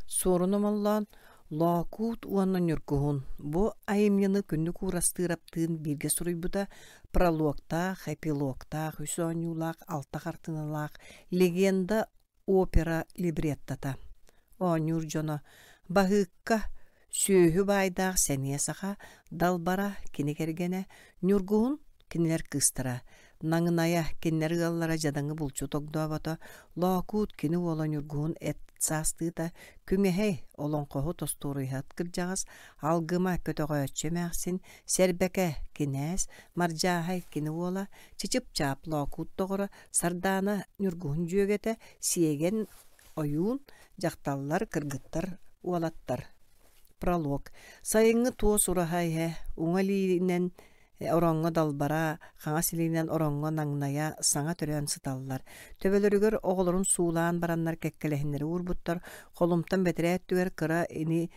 Суорун Омоллоон Лоокуут уонна Ньургуһун бу айымньыны Күннүк Уурастыыраптыын бииргэ суруйбута прологтаах, эпилогтаах, үс оонньуулаах, алта хартыыналаах легенда опера либреттота. Оонньуур дьоно Баһыыкка, сүөһү баайдаах сэниэ саха, Далбара кини кэргэнэ, Ньургуһун кинилэр кыыстара, Наҥынайа кинилэр ыаллара дьадаҥы булчут огдообото, Лоокуут кини уола Ньургуһун эт саастыыта, Күҥэһэй олоҥхоһут остуоруйаһыт кырдьаҕас, Алгыма көтөҕөөччү эмээхсин, Сэрбэкэ кинээс, Мардьааһай кини уола, Чычып-Чаап Лоокуут доҕоро, Сардаана Ньургуһун дьүөгэтэ, Сиэгэн ойуун, дьахталлар, кыргыттар, уолаттар. Пролог. Сайыҥҥы туос ураһа иһэ уҥа илиинэн ороҥҥо далбара, хаҥас илиинэн ороҥҥо наҥнайа саҥа төрөөн сыталлар. Төбөлөрүгэр оҕолорун суулаан бараннар кэккэлэһиннэри уурбуттар, холумтан бэтэрээ өттүгэр кыра ини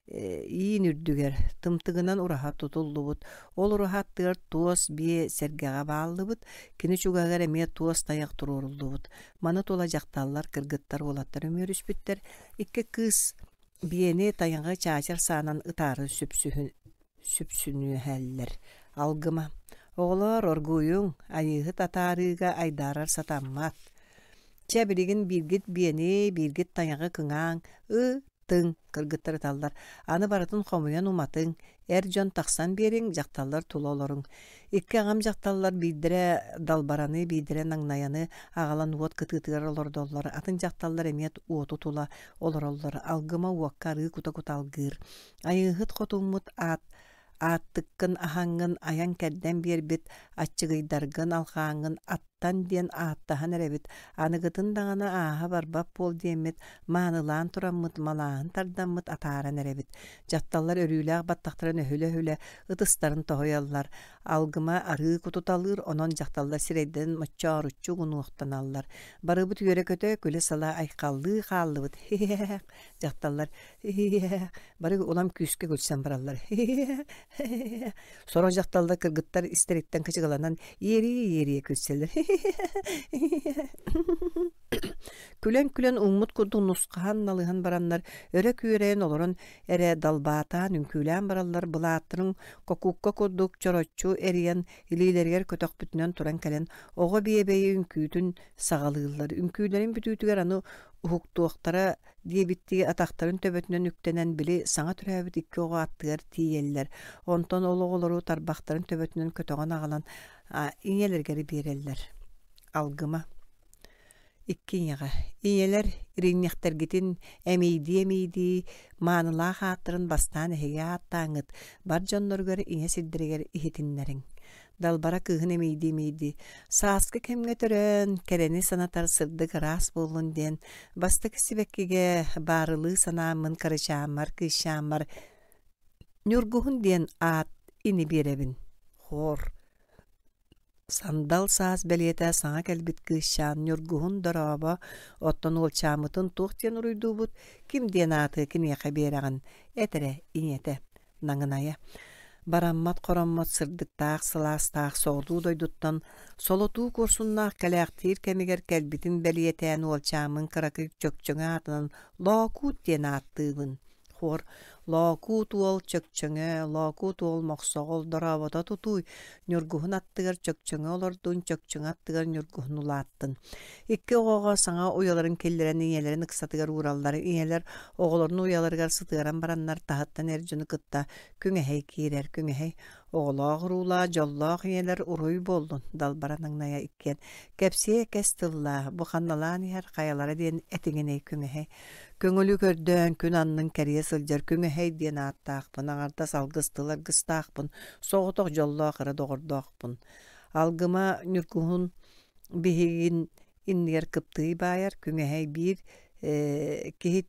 иин үрдүгэр тымтыгынан ураһа тутуллубут. Ол ураһа аттыгар туос биэ сэргэҕэ бааллыбыт, кини чугаһыгар эмиэ туос тайах туруоруллубут. Маны тула дьахталлар, кыргыттар, уолаттар үмүөрүспүттэр. Икки кыыс биэни тайаҕы чаачар саанан ытаары сүпсүнүһэллэр. Алгыма: «Оҕолоор, оргуйуҥ, айыыһыт атаарыыга айдаарар сатаммат. Чэ, билигин бииргит биэни, бииргит тайаҕы кыҥааҥ, ыы-тыҥ» кыргыттар ыталлар. «Аны барытын хомуйан уматыҥ, эр дьон тахсан биэриҥ, дьахталлар тула олоруҥ». Икки аҕам дьахталлар биирдэрэ далбараны, биирдэрэ наҥнайаны аҕалан уот кытыытыгар олордоллор, атын дьахталлар эмиэ уоту тула олороллор. Алгыма уокка арыы кута-кута алгыыр. Айыыһыт хотуммут аат ааттыккын аһаҥҥын айан-кэрдэн биэрбит аччыгыйдаргын алҕааҥҥын аттан диэн ааттаһан эрэбит, аныгытын даҕаны ааһа барбат буол диэммит маанылаан тураммыт малааһын тардаммыт атааран эрэбит. Дьахталлар өрүүлээх баттахтарын өһүлэ-өһүлэ ытыстарын тоһуйаллар, алгыма арыы кутуталыыр, онон дьахталлар сирэйдэрин моччооруччу угунуохтаналлар. Барыбыт үөрэ-көтө, күлэ-сала айхаллыы хааллыбыт. Хи-хи-хэх, дьахталлар хи-хи-хэх бары улам күүскэ күлсэн бараллар. Сорох дьахталлар кыргыттар истэриттэн кычыгаланан иэрийэ-иэрийэ күлсэллэр. Күлэн-күлэн ууммут курдук нусхаһан налыһан бараннар өрө күөрэйэн олорон эрэ далбаатаан үҥкүүлээн бараллар былааттарын кокуукка курдук чороччу эрийэн илиилэригэр көтөхпүтүнэн туран кэлэн оҕо биэбэйи үҥкүүтүн саҕалыыллар. Үҥкүүлэрин бүтүүтүгэр аны уһуктуохтара диэбиттии атахтарын төбөтүнэн үктэнэн били саҥа төрөөбүт икки оҕо аттыгар тиийэллэр. Онтон ол оҕолору тарбахтарын төбөтүнэн көтөҕөн аҕалан ийэлэригэр биэрэллэр. Алгыма. Икки ийэҕэ. Ийэлэр иринньэхтэргитин эмиийдии-эмиийдии маанылаах ааттарын бастаан эһиги ааттааҥҥыт бар дьонноругар ийэ сирдэригэр иһитиннэриҥ. Далбара кыыһын эмиийдии-эмиийдии, сааскы кэмҥэ төрөөн, кэрэни санатар сырдык ыраас буоллун диэн, бастакы сибэккигэ баарылыы санааммын кырачааммар, кыысчааммар Ньургуһун диэн аат ини биэрэбин. Хор. Сандал саас бэлиэтэ саҥа кэлбит кыысчаан Ньургуһун дорообо, оттон уолчааммытын туох диэн уруйдуубут, ким диэн ааты киниэхэ биэрэҕин, эт эрэ, ийэтэ. Наҥынайа Бараммат-хороммот сырдыктаах, сылаастаах соҕуруу дойдуттан солотуу куорсуннаах кэлээхтиир кэмигэр кэлбитин бэлиэтээн уолчааммын кыракый Чөкчөҥө аатынан Лоокуут диэн ааттыыбын. Хор Лоокуут уол Чөкчөҥө, Лоокуут уол Мохсоҕол дорообото тутууй, Ньургуһун аттыгар Чөкчөҥө олордун, Чөкчөҥө аттыгар Ньургуһун улааттын. Икки оҕоҕо саҥа уйаларын киллэрэн ийэлэрин ыксатыгар уураллар. Ийэлэр оҕолорун уйаларыгар сытыаран бараннар таһыттан эр дьону кытта күҥэһэй киирэр. Күҥэһэй оҕолоох уруулаах, дьоллоох ийэлэр уруй буоллун, Далбара Наҥнайа иккиэн кэпсиэ кэс тыллаах, бу ханналаан иһэр хайалара диэн этиҥинэй күҥэһэй. Көҥүлү көрдөөн күн аннын кэрийэ сылдьар күҥэһэй диэн ааттаахпын, аҥардас алгыс тыл аргыстаахпын, соҕотох дьоллоох эрэ доҕордоохпун. Алгыма Ньургуһун биһигин иннигэр кыптыый баайар, күҥэһэй биир киһи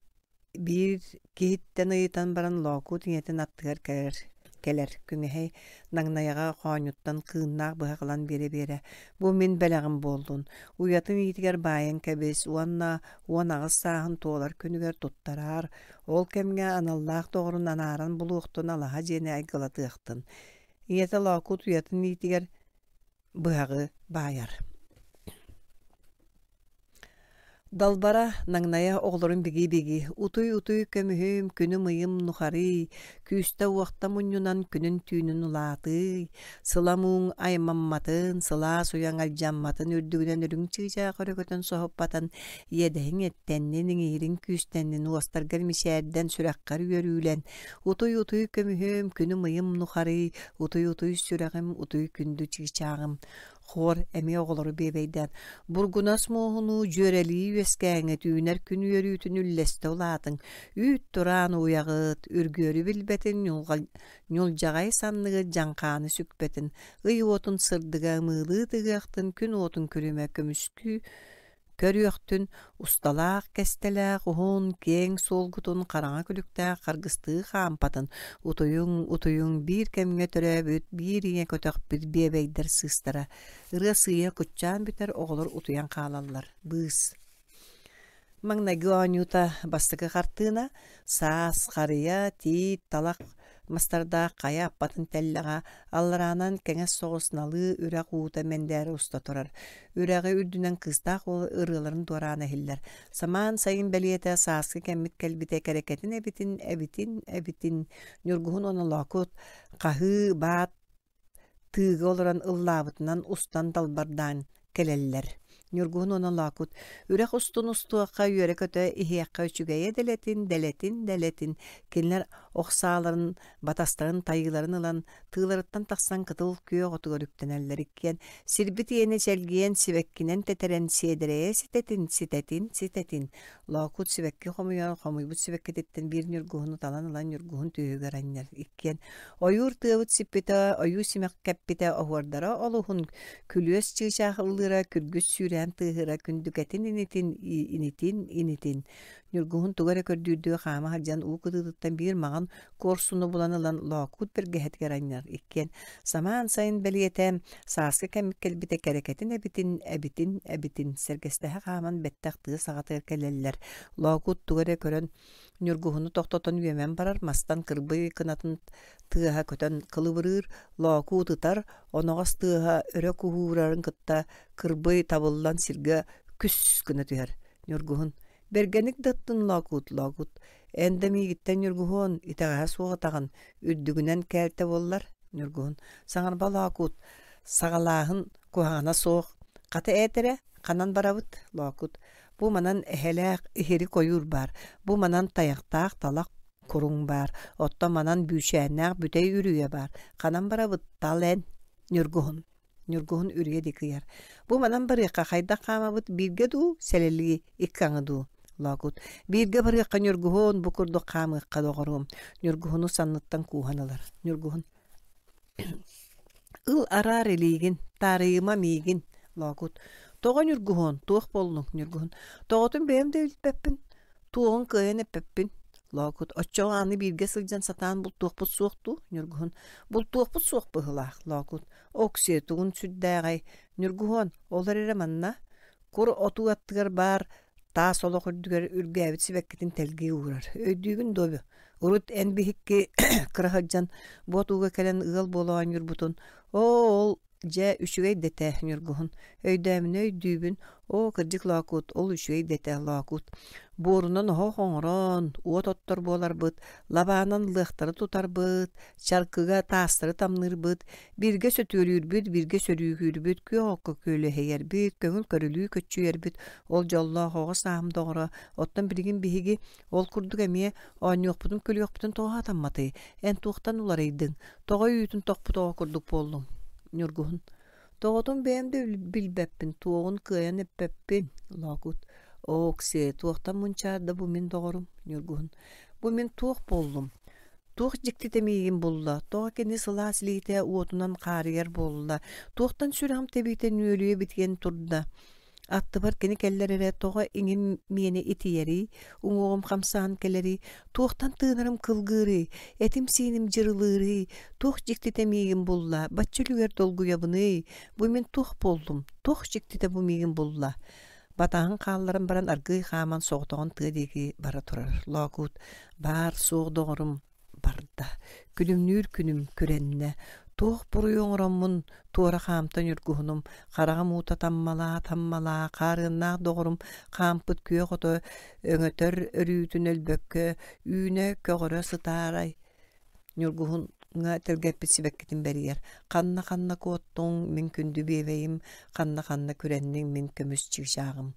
биир киһиттэн ыйытан баран Лоокуут ийэтин аттыгар кэлэр кэлэр күҥэһэй наҥнайаҕа хоонньуттан кыыннаах быһах ылан биэрэ-биэрэ бу мин бэлэҕим буоллун уйатын иитигэр баайан кэбис уонна 18 сааһын туолар күнүгэр туттараар ол кэмҥэ аналлаах доҕорун анааран булуохтун алаһа дьиэни айгылатыахтын ийэтэ Лоокуут уйатын иитигэр быһаҕы баайар. Далбара наҥнайа оҕолорун бигии-бигии «Утуй-утуй көмүһүм, күнүм-ыйым нухарый, күүстэ-уохта мунньунан күнүн-түүнүн улаатыый, сыла-мууҥ аймамматын, сылаас уйаҥ алдьамматын үрдүгүнэн үрүҥ чыычаах өрөкөтөн соһуппатын, иэдэһиҥ эттэннин, иҥиириҥ күүстэннин, уостаргар мичээрдэн, сүрэххэр үөрүүлэн, утуй-утуй көмүһүм, күнүм-ыйым нухарый, утуй-утуй сүрэҕим, утуй күндү чыычааҕым, Хор эмиэ оҕолору биэбэйдээн, бургунас муоһунуу дьүөрэлии үөскээҥҥит үүнэр күн үөрүүтүн үллэстэ улаатыҥ, үүт тураан ууйаҕыт, үргүөрү билбэтин ньулдьаҕай санныгыт дьаҥхааны сүкпэтин, ый уотун сырдыга ымыылыы тыгыахтын, күн уотун күлүмэ көмүскүү Көрүөхтүн, усталаах, кэстэлээх, уһун, киэҥ суолгутун хараҥа күлүктээх харгыстыы хаампатын, утуйуҥ, утуйуҥ биир кэмҥэ төрөөбүт, биир ийэ көтөхпүт биэбэйдэр сыыстара. Ырыа сыыйа куччаан бүтэр, оҕолор утуйан хаалаллар. Быыс. Маҥнайгы оонньуута бастакы хартыына, саас, харыйа, тиит, талах мастардаах хайа аппатын тэллэҕэ аллараанан кэҥэс соҕус налыы үрэх уута мэндээрэ уста турар. Үрэҕи үрдүнэн кыыстаах уол ырыаларын дуораана иһиллэр. Самаан сайын бэлиэтэ сааскы кэммит кэлбитэ кэрэкэтин эбитин, эбитин, эбитин, Ньургуһун онолоокут, хаһыы, баат тыыга олорон ыллаабытынан устан далбардаан кэлэллэр. Ньургуһун уонна Лоокут үрэх устун устуохха үөрэ-көтө иһиэххэ үчүгэйэ дэлэтин, дэлэтин, дэлэтин. Кинилэр ох сааларын, батастарын, тайыыларын ылан, тыыларыттан тахсан кытыл күөх отугар үктэнэллэр иккиэн сирбит иэнэ чэлгийэн сибэккинэн тэтэрэн сиэдэрэйэ ситэтин, ситэтин, ситэтин. Лоокут сибэкки хомуйар, хомуйбут сибэккититтэн биир ньургуһуну талан ылан ньургуһун түөһүгэр анньар. Иккиэн ойуур тыабыт сиппитэ, ойуу симэх кэппитэ, оһуордара олуһун, күлүөс чыычаах ыллыыра, күргүс сүүрээн тыаһыыра, күндүкэтин инитин, инитин, инитин. Ньургуһун тугу эрэ көрдүүрдүү хаама сылдьан уу кытыытыттан биир маҕан куорсуну булан ылан Лоокуут бэргэһэтигэр анньар. Иккиэн самаан сайын бэлиэтээн сааскы кэммит кэлбитэ кэрэкэтин эбитин, эбитин, эбитин сэргэстэһэ хааман бэттэх тыа саҕатыгар кэлэллэр. Лоокуут тугу эрэ көрөн Ньургуһуну тохтотон үөмэн барар, мастан кырбый кынатын тыаһа көтөн кылыбырыыр, Лоокуут ытар, оноҕос тыаһа өрө куһуурарын кытта кырбый табыллан сиргэ күс гына түһэр. Ньургуһун Бэргэник да ыттын Лоокуут, Лоокуут, эн да миигиттэн Ньургуһуон, итэҕэһэ суох ытаҕын, үрдүгүнэн кээлтэ буоллар, Ньургуһун, саҥарба Лоокуут, саҕалааһын куһаҕана суох, хата эт эрэ, ханан барабыт, Лоокуут, бу манан эһэлээх иһирик ойуур баар, бу манан тайахтаах талах куруҥ баар, оттон манан бүүчээннээх бүтэй үрүйэ баар, ханан барабыт, тал эн, Ньургуһун. Ньургуһун үрүйэ диэки ыйар. Бу манан барыахха хайдах хаамабыт бииргэ дуу, сэлэлии икки аҥы дуу? Лоокут. Бииргэ барыахха Ньургуһун, бу курдук хаамыахха доҕоруом. Ньургуһуну санныттан кууһан ылар. Ньургуһун. Ыл араар илиигин, таарыйыма миигин. Лоокут. Тоҕо Ньургуһун, туох буоллуҥ, Ньургуһун? Тоҕотун бэйэм да билбэппин. Туоҕун кыайан эппэппин. Лоокут, оччоҕо аны бииргэ сылдьан сатаан бултуохпут суох дуу? Ньургуһун, бултуохпут суох быһыылаах, Лоокут. Оксиэ, тугун сүрдээҕэй? Ньургуһуон, ол эрэ манна. Кур отуу аттыгар баар таас олох үрдүгэр үргээбит сибэккитин тэлгии уурар. Өйдүүгүн дуо, урут эн биһикки кыра сылдьан бу отууга кэлэн ыал буола оонньуурбутун, оо, ол Дьэ, үчүгэй да этэ, Ньургуһун. Өйдөөмүнэ өйдүүбүн. Оо, кырдьык Лоокуут, ол үчүгэй да этэ, Лоокуут. Буорунан оһох оҥорон, уот оттор буоларбыт, лабаанан лыахтары тутарбыт, чаркыга таастары тамныырбыт, бииргэ сөтүөлүүрбүт, бииргэ сөрүүкүүрбүт, күөх окко күөлэһийэрбит, көҥүл көрүлүү көччүйэрбит, ол дьоллоох оҕо сааһым доҕоро. Оттон билигин биһиги ол курдук эмиэ оонньуохпутун-күлүөхпүтүн тоҕо сатамматый? Эн туохтан уларыйдыҥ? Тоҕо үүтүн тохпут оҕо курдук буоллуҥ? Ньургуһун. Тоҕотун бэйэм да билбэппин, туоҕун кыайан эппэппин. Лоокут. Оо, Оксиэ, туохтан мунчаарда бу мин доҕорум? Ньургуһун. Бу мин туох буоллум? Туох дьиктитэ миигин булла? Тоҕо кини сылаас илиитэ уотунан хаарыйар буолла? Туохтан сүрэҕим тэбиитэ нүөлүйэ битийэн турда? Аттыбар кини кэллэр эрэ тоҕо иҥин миэнэ итийэрий, уҥуоҕум хамсаан кэлэрий, туохтан тыынарым кылгыырый, этим-сииним дьырылыырый, туох дьиктитэ миигин булла, бачча үлүгэр долгуйабыный, бу мин туох буоллум, туох дьиктитэ бу миигин булла? Батаһын хаалларан баран аргыый хааман соҕотоҕун тыа диэки бара турар. Лоокуут, баар суох доҕорум, барда. Күлүмнүүр күнүм күрэннэ. Туох буруйу оҥороммун туора хаамта ньургуһунум, хараҕым уута таммалаа-таммалаа, хаарыаннаах доҕорум хаампыт күөх ото өҥөтөр өрүүтүн өлбөккө үүнэ-көҕөрө сытаарай Ньургуһуҥҥа тэлгэппит сибэккитин бэрийэр: «Ханна-ханна куоттуҥ, мин күндү биэбэйим, ханна-ханна күрэнниҥ, мин көмүс чыычааҕым».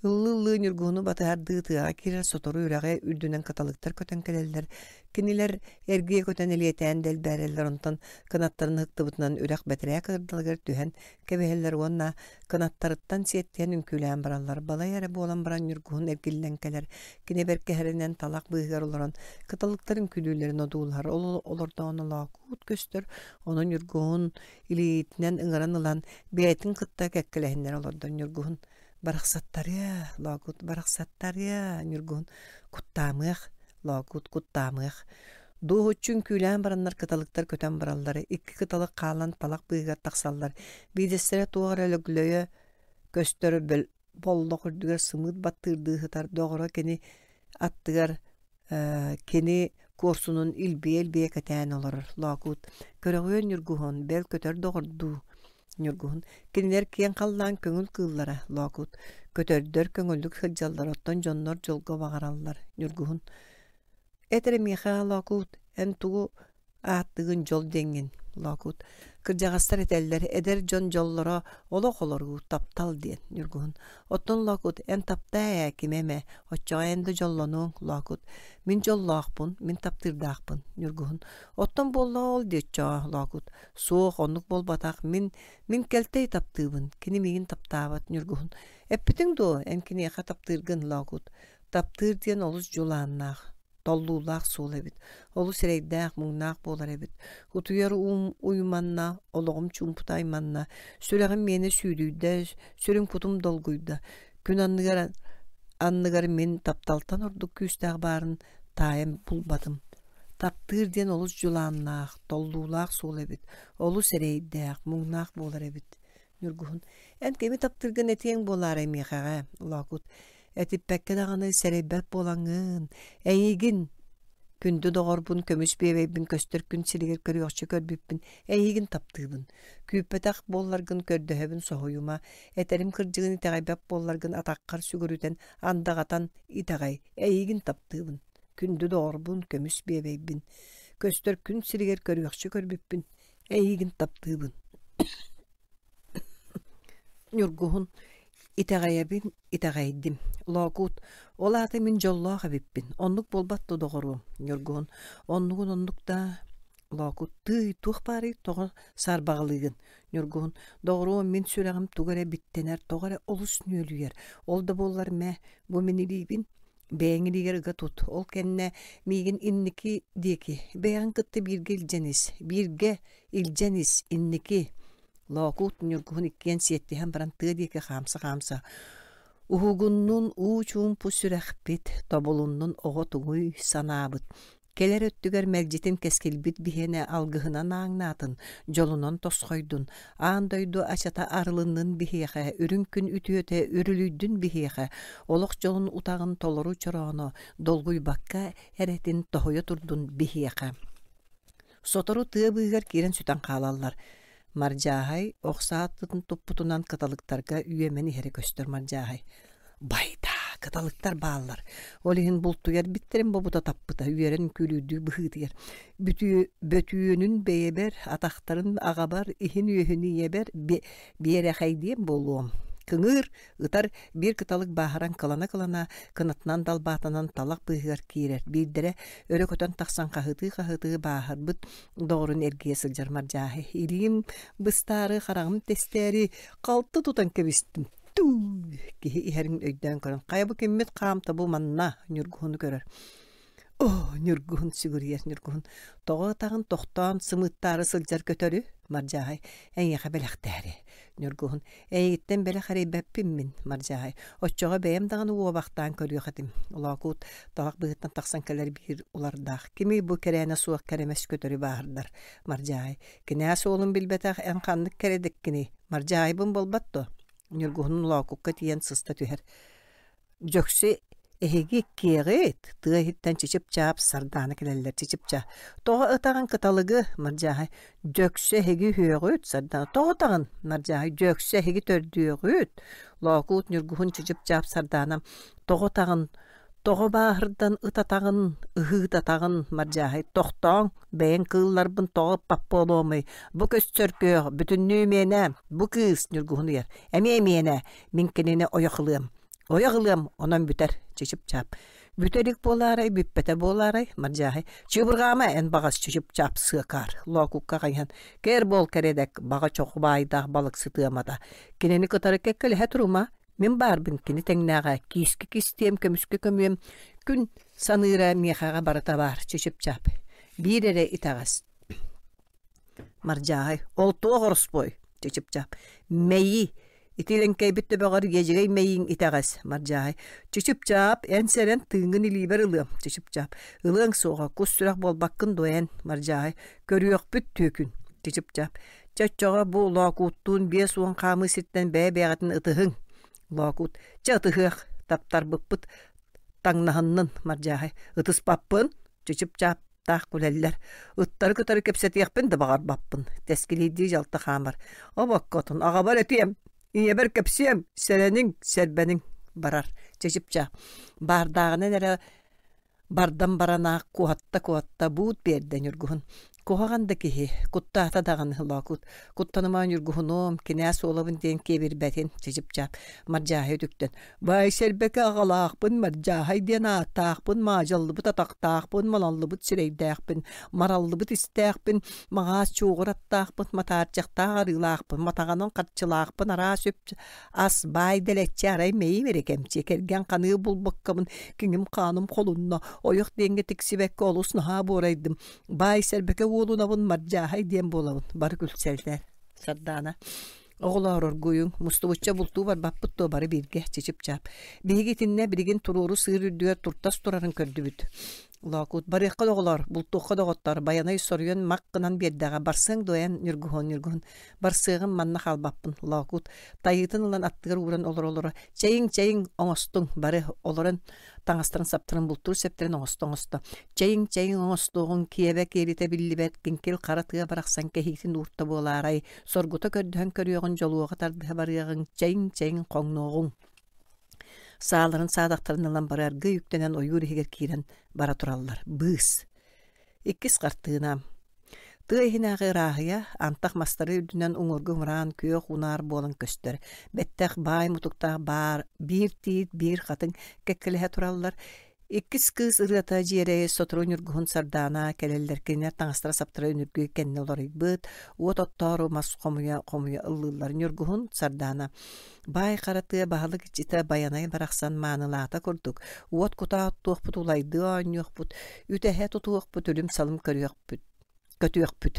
Ыллыы-ыллыы Ньургуһуну батыһардыы тыаҕа киирэр сотору үрэҕи үрдүнэн кыталыктар көтөн кэлэллэр. Кинилэр эргийэ көтөн элиэтээн дэлбээрэллэр, онтон кынаттарын ыһыктыбытынан үрэх бэтэрээ кырдалыгар түһэн кэбиһэллэр уонна кынаттарыттан сиэттиһэн үҥкүүлээн бараллар. Балай эрэ буолан баран Ньургуһун эргиллэн кэлэр. Кини бэркэһэринэн талах быыһыгар олорон кыталыктар үҥкүүлүүллэрин одуулаһар. Ол олордоҕуна лоокуут көстөр, ону Ньургуһун илиитинэн ыҥыран ылан бэйэтин кытта кэккэлэһиннэрэ олордо. Ньургуһун «Барахсаттарыа, Лоокуут, барахсаттарыа, Ньургуһун, куттаамыах, Лоокуут, куттаамыах». Дуоһуччу үҥкүүлээн бараннар кыталыктар көтөн бараллар, икки кыталык хаалан талах быыһыгар тахсаллар, биирдэстэрэ туох эрэ лөглөйө көстөр боллох үрдүгэр сымыыт баттыырдыы сытар доҕоро кини аттыгар кини куорсунун илбийэ-илбийэ кэтээн олорор Лоокуут көрөҕүөн Ньургуһун бэл көтөр доҕордуу Ньургуһун кинилэр киэҥ халлаан көҥүл кыыллара Лоокуут көтөрдөр көҥүллүк сылдьаллар оттон дьоннор дьолго баҕараллар Ньургуһун эт эрэ миэхэ Лоокуут эн тугу Ааттыгын дьол диэҥҥин, Лоокуут. Кырдьаҕастар этэллэр, эдэр дьон дьоллоро олох олоруу, таптал диэн, Ньургуһун. Оттон Лоокут, эн таптаа ээ кими эмэ, оччоҕо эн да дьоллонуоҥ, Лоокут. Мин дьоллоохпун, мин таптыырдаахпын, Ньургуһун. Оттон буоллаҕа ол дии оччоҕо, Лоокут. Суох, оннук буолбатах, мин, мин кэлтэй таптыыбын, кини миигин таптаабат, Ньургуһун. Эппитиҥ дуо, эн киниэхэ таптыыргын, Лоокут. Таптыыр диэн олус дьулааннаах толлуулаах суол эбит, олус эрэйдээх, муҥнаах буолар эбит. Утуйар уум уйманна, олоҕум чуумпута айманна, сүрэҕим миэнэ сүүдүйдэ, сүрүн кутум долгуйда. Күн анныгар анныгар мин тапталтан ордук күүстээх баарын таайан булбатым. Таптыыр диэн олус дьулааннаах, толлуулаах суол эбит, олус эрэйдээх, муҥнаах буолар эбит. Ньургуһун, эн кими таптыыргын этиэҥ буолаарай миэхэҕэ, Лоокут, этиппэккэ даҕаны сэрэйбэт буолаҥҥын, эйигин, күндү доҕорбун, көмүс биэбэйбин көстөр күн сиригэр көрүөхчэ көрбүппүн, эйигин таптыыбын. Күүппэтэх буолларгын көрдөһөбүн соһуйума, этэрим кырдьыгын итэҕэйбэт буолларгын атаххар сүгүрүтэн, андаҕатан итэҕэй, эйигин таптыыбын. Күндү доҕорбун, көмүс биэбэйбин, көстөр күн сиригэр көрүөхчэ көрбүппүн, Эйигин таптыыбын. Ньургуһун, итэҕэйэбин, итэҕэйдим. Лоокуут, ол аата мин дьоллоох эбиппин. Оннук буолбат дуо, доҕоруом? Ньургуһун, оннугун оннук да Лоокут, тыый, туох баарый, тоҕо саарбаҕалыыгын? Ньургуһун, доҕоруом, мин сүрэҕим тугу эрэ биттэнэр, тоҕо эрэ олус нүөлүйэр. Ол да буоллар мэ, бу мин илиибин Бэйэҥ илиигэр ыга тут, ол кэннэ миигин инники диэки, бэйэҕин кытта бииргэ илдьэн ис, бииргэ илдьэн ис, инники Лоокуут Ньургуһун иккиэн сиэттиһэн баран тыа диэки хаамса-хаамса уһугуннун уу чуумпу сүрэхпит, тобулуннун оҕо тугуй санаабыт, Кэлэр өттүгэр мэлдьитин кэскилбит биһиэнэ алгыһынан ааҥнаатын, дьолунан тосхойдун, аан дойду ачата арылыннын биһиэхэ, үрүҥ күн үтүөтэ үрүлүйдүн биһиэхэ, олох дьолун утаҕын толору чорооно долгуйбакка эрэтин тоһуйа турдун биһиэхэ. Сотору тыа быыһыгар киирэн сүтэн хаалаллар. Мардьааһай ох саатын туппутунан кыталыктарга үөмэн иһэрэ көстөр Мардьааһай «Байдаа, кыталыктар бааллар, ол иһин бултуйар биттэрин бобута таппыта, үөрэн күлүүдүү быһыытыйар. Бүтүө бөтүөнүн бэйэбэр, атахтарын аҕабар, иһин-үөһүн ийэбэр биэрэхэйдиэм буолуом. Кыҥыыр, Ытар биир кыталык бааһыран кылана-кылана, кынатынан далбаатанан талах быыһыгар киирэр. Биирдэрэ өрө көтөн тахсан хаһытыы-хаһытыы бааһырбыт доҕорун эргийэ сылдьар Мардьааһы. Илиим быстаары, хараҕым тэстээри халты тутан кэбистим. Туу! Киһи иһэрин өйдөөн көрөн, хайа бу киммит хаамта бу манна Ньургуһуну көрөр. Оо, Ньургуһун сүгүрүйэр Ньургуһун, тоҕо ытаҕын тохтоон сымыыттаары сылдьар көтөрү, Мардьааһай, эйиэхэ бэлэхтээри. Ньургуһун, эйигиттэн бэлэх эрэйбэппин мин, Мардьааһай, оччоҕо бэйэм даҕаны уобахтаан көрүөх этим. Лоокуут талах быыһыттан тахсан кэлэр биир улардаах. Кимий бу кэрээнэ суох кэрэмэс көтөрү бааһырдар? Мардьааһай, кинээс уолун билбэтэх эн ханнык кэрэдэккиний? Мардьаайбын буолбат дуо? Ньургуһун Лоокукка тиийэн сыста түһэр. Дьөксө Эһиги иккиэҕит тыа иһиттэн чычып-чаап сардаана кэлэллэр чычып-чаа. Тоҕо ытаҕын кыталыгы Мардьааһай Дьөксө эһиги үһүөҕүт Сардаана тоҕо ытаҕын Мардьааһай Дьөксө эһиги төрдүөҕүт Лоокуут Ньургуһун чычып-чаап Сардаана тоҕо ытаҕын тоҕо бааһырдан ытатаҕын ыһыытатаҕын Мардьааһай тохтооҥ бэйэҥ кыылларбын тоҕо ыппат буолуомуй бу көстөркөөх бүтүннүү миэнэ бу кыыс Ньургуһун ыйар эмиэ миэнэ мин кинини ойох ылыам Ойох ылыам, онон бүтэр, чычып-чаап. Бүтэ илик буолаарай, бүппэтэ буолаарай, Мардьааһай. Чыыбырҕаама эн баҕас чычып-чаап сыакаар, Лоокукка хайыһан. Кэр буол кэрэдэк, баҕа чоху баайдаах балыксыт ыамата. Кинини кытары кэккэлэһэ турума, мин баарбын кини тэҥнээҕэ, киискэ кистиэм, көмүскэ көмүөм, күн саныыра миэхэҕэ барыта баар, чычып-чаап. Биир эрэ итэҕэс. Мардьааһай, ол туох ороспуой? Чычып-чаап. Мэйии Ити лэҥкэйбит төбөҕөр иэдьэгэй мэйииҥ итэҕэс, Мардьааһай. Чычып-чаап, эн сэрэн тыыҥҥын илиибэр ылыам, Чычып-чаап. Ылыаҥ суоҕа, кус сүрэх буолбаккын дуо эн, Мардьааһай. Көрүөхпүт түөкүн, Чычып-чаап. Чэ оччоҕо бу Лоокууттуун 50 хаамыы сиртэн бэйэ-бэйэҕитин ытыһыҥ. Лоокуут. Чэ ытыһыах, таптарбыппыт таҥнаһыннын, Мардьааһай. Ытыспаппын, Чычып-чаап таах күлэллэр. Ыттары кытары кэпсэтиэхпин да баҕарбаппын. Тэскилиирдии дьалты хаамар. Обоккотун аҕабар этиэм, ийэбэр кэпсиэм, сэрэниҥ, сэрбэниҥ барар. Чычыпча баардааҕынан эрэ бардан баранаах куотта-куотта буут биэрдэ Ньургуһун. Куһаҕан да киһи, куттаата даҕаны Лоокут. Куттаныма Ньургуһунуом, кинээс уолабын диэн киэбирбэтин, Чычыпчаап Мардьааһай үтүктэн. Баай Сэрбэкэ аҕалаахпын, Мардьааһай диэн ааттаахпын, маадьаллыбыт атахтаахпын, малаллыбыт сирэйдээхпин, мараллыбыт истээхпин, маҕаас чуоҕур аттаахпын, матаарчахтаах арыылаахпын, матаҕанан харчылаахпын, араас үп ас баай дэлэччи арай мэйим эрэ кэмчи, кэргэн ханыы булбаккабын, киҥим-хааным холунна, ойох диэҥҥэ тиксибэккэ олус наһаа буорайдым, баай Сэрбэкэ уолунабын, Мардьааһай диэн буолабын, бары күлсэллэр. Сардаана Оҕолоор оргуйуҥ, мустубучча бултуу барбаппыт дуо бары бииргэ, чычып-чаап. Биһиги итиннэ билигин туруору сыыр үрдүгэр туртас турарын көрдүбүт. Лоокуут, барыахха да оҕолоор, бултуохха доҕоттоор, Байанай соруйан мах гынан биэрдэҕэ, барсыаҥ дуо эн, Ньургуһун, Ньургуһун, барсыаҕым, манна хаалбаппын, Лоокуут, тайыытын ылан аттыгар ууран олоро-олоро, чэйиҥ, чэйиҥ, оҥостуҥ, бары олорон таҥастарын-саптарын бултуур сэптэрин оҥосто-оҥосто чэйиҥ-чэйиҥ оҥостуоҕуҥ киэбэ киэлитэ биллибэт киҥкил хара тыа барахсан кэһиитин уурта буолаарай соргута көрдөһөн көрүөҕүн дьолуоҕа тардыһа барыаҕыҥ чэйиҥ-чэйиҥ хоҥнуоҕуҥ сааларын саадахтарын ылан бары аргыый үктэнэн ойуур иһигэр киирэн бара тураллар быыс Иккис хартыына. Тыа иһинээҕи ырааһыйа антах мастары үрдүнэн уҥуоргу мыраан күөх унаар буолан көстөр. Бэттэх баай мутуктаах баар биир тиит, биир хатыҥ кэккэлэһэ тураллар. Иккис кыыс ырыата дьиэрэйи сотору ньургуһун сардаана кэлэллэр кинилэр таҥастара-саптара үнүргү кэннэ уларыйбыт, уот оттоору мас хомуйа-хомуйа ыллыыллар. Ньургуһун сардаана Баай хара тыа баһылык иччитэ Байанай барахсан маанылаата курдук, уот кутаа оттуохпут, улайдыы оонньуохпут, үтэһэ тутуохпут, үлүм-салым көрүөхпүт, көтүөхпүт.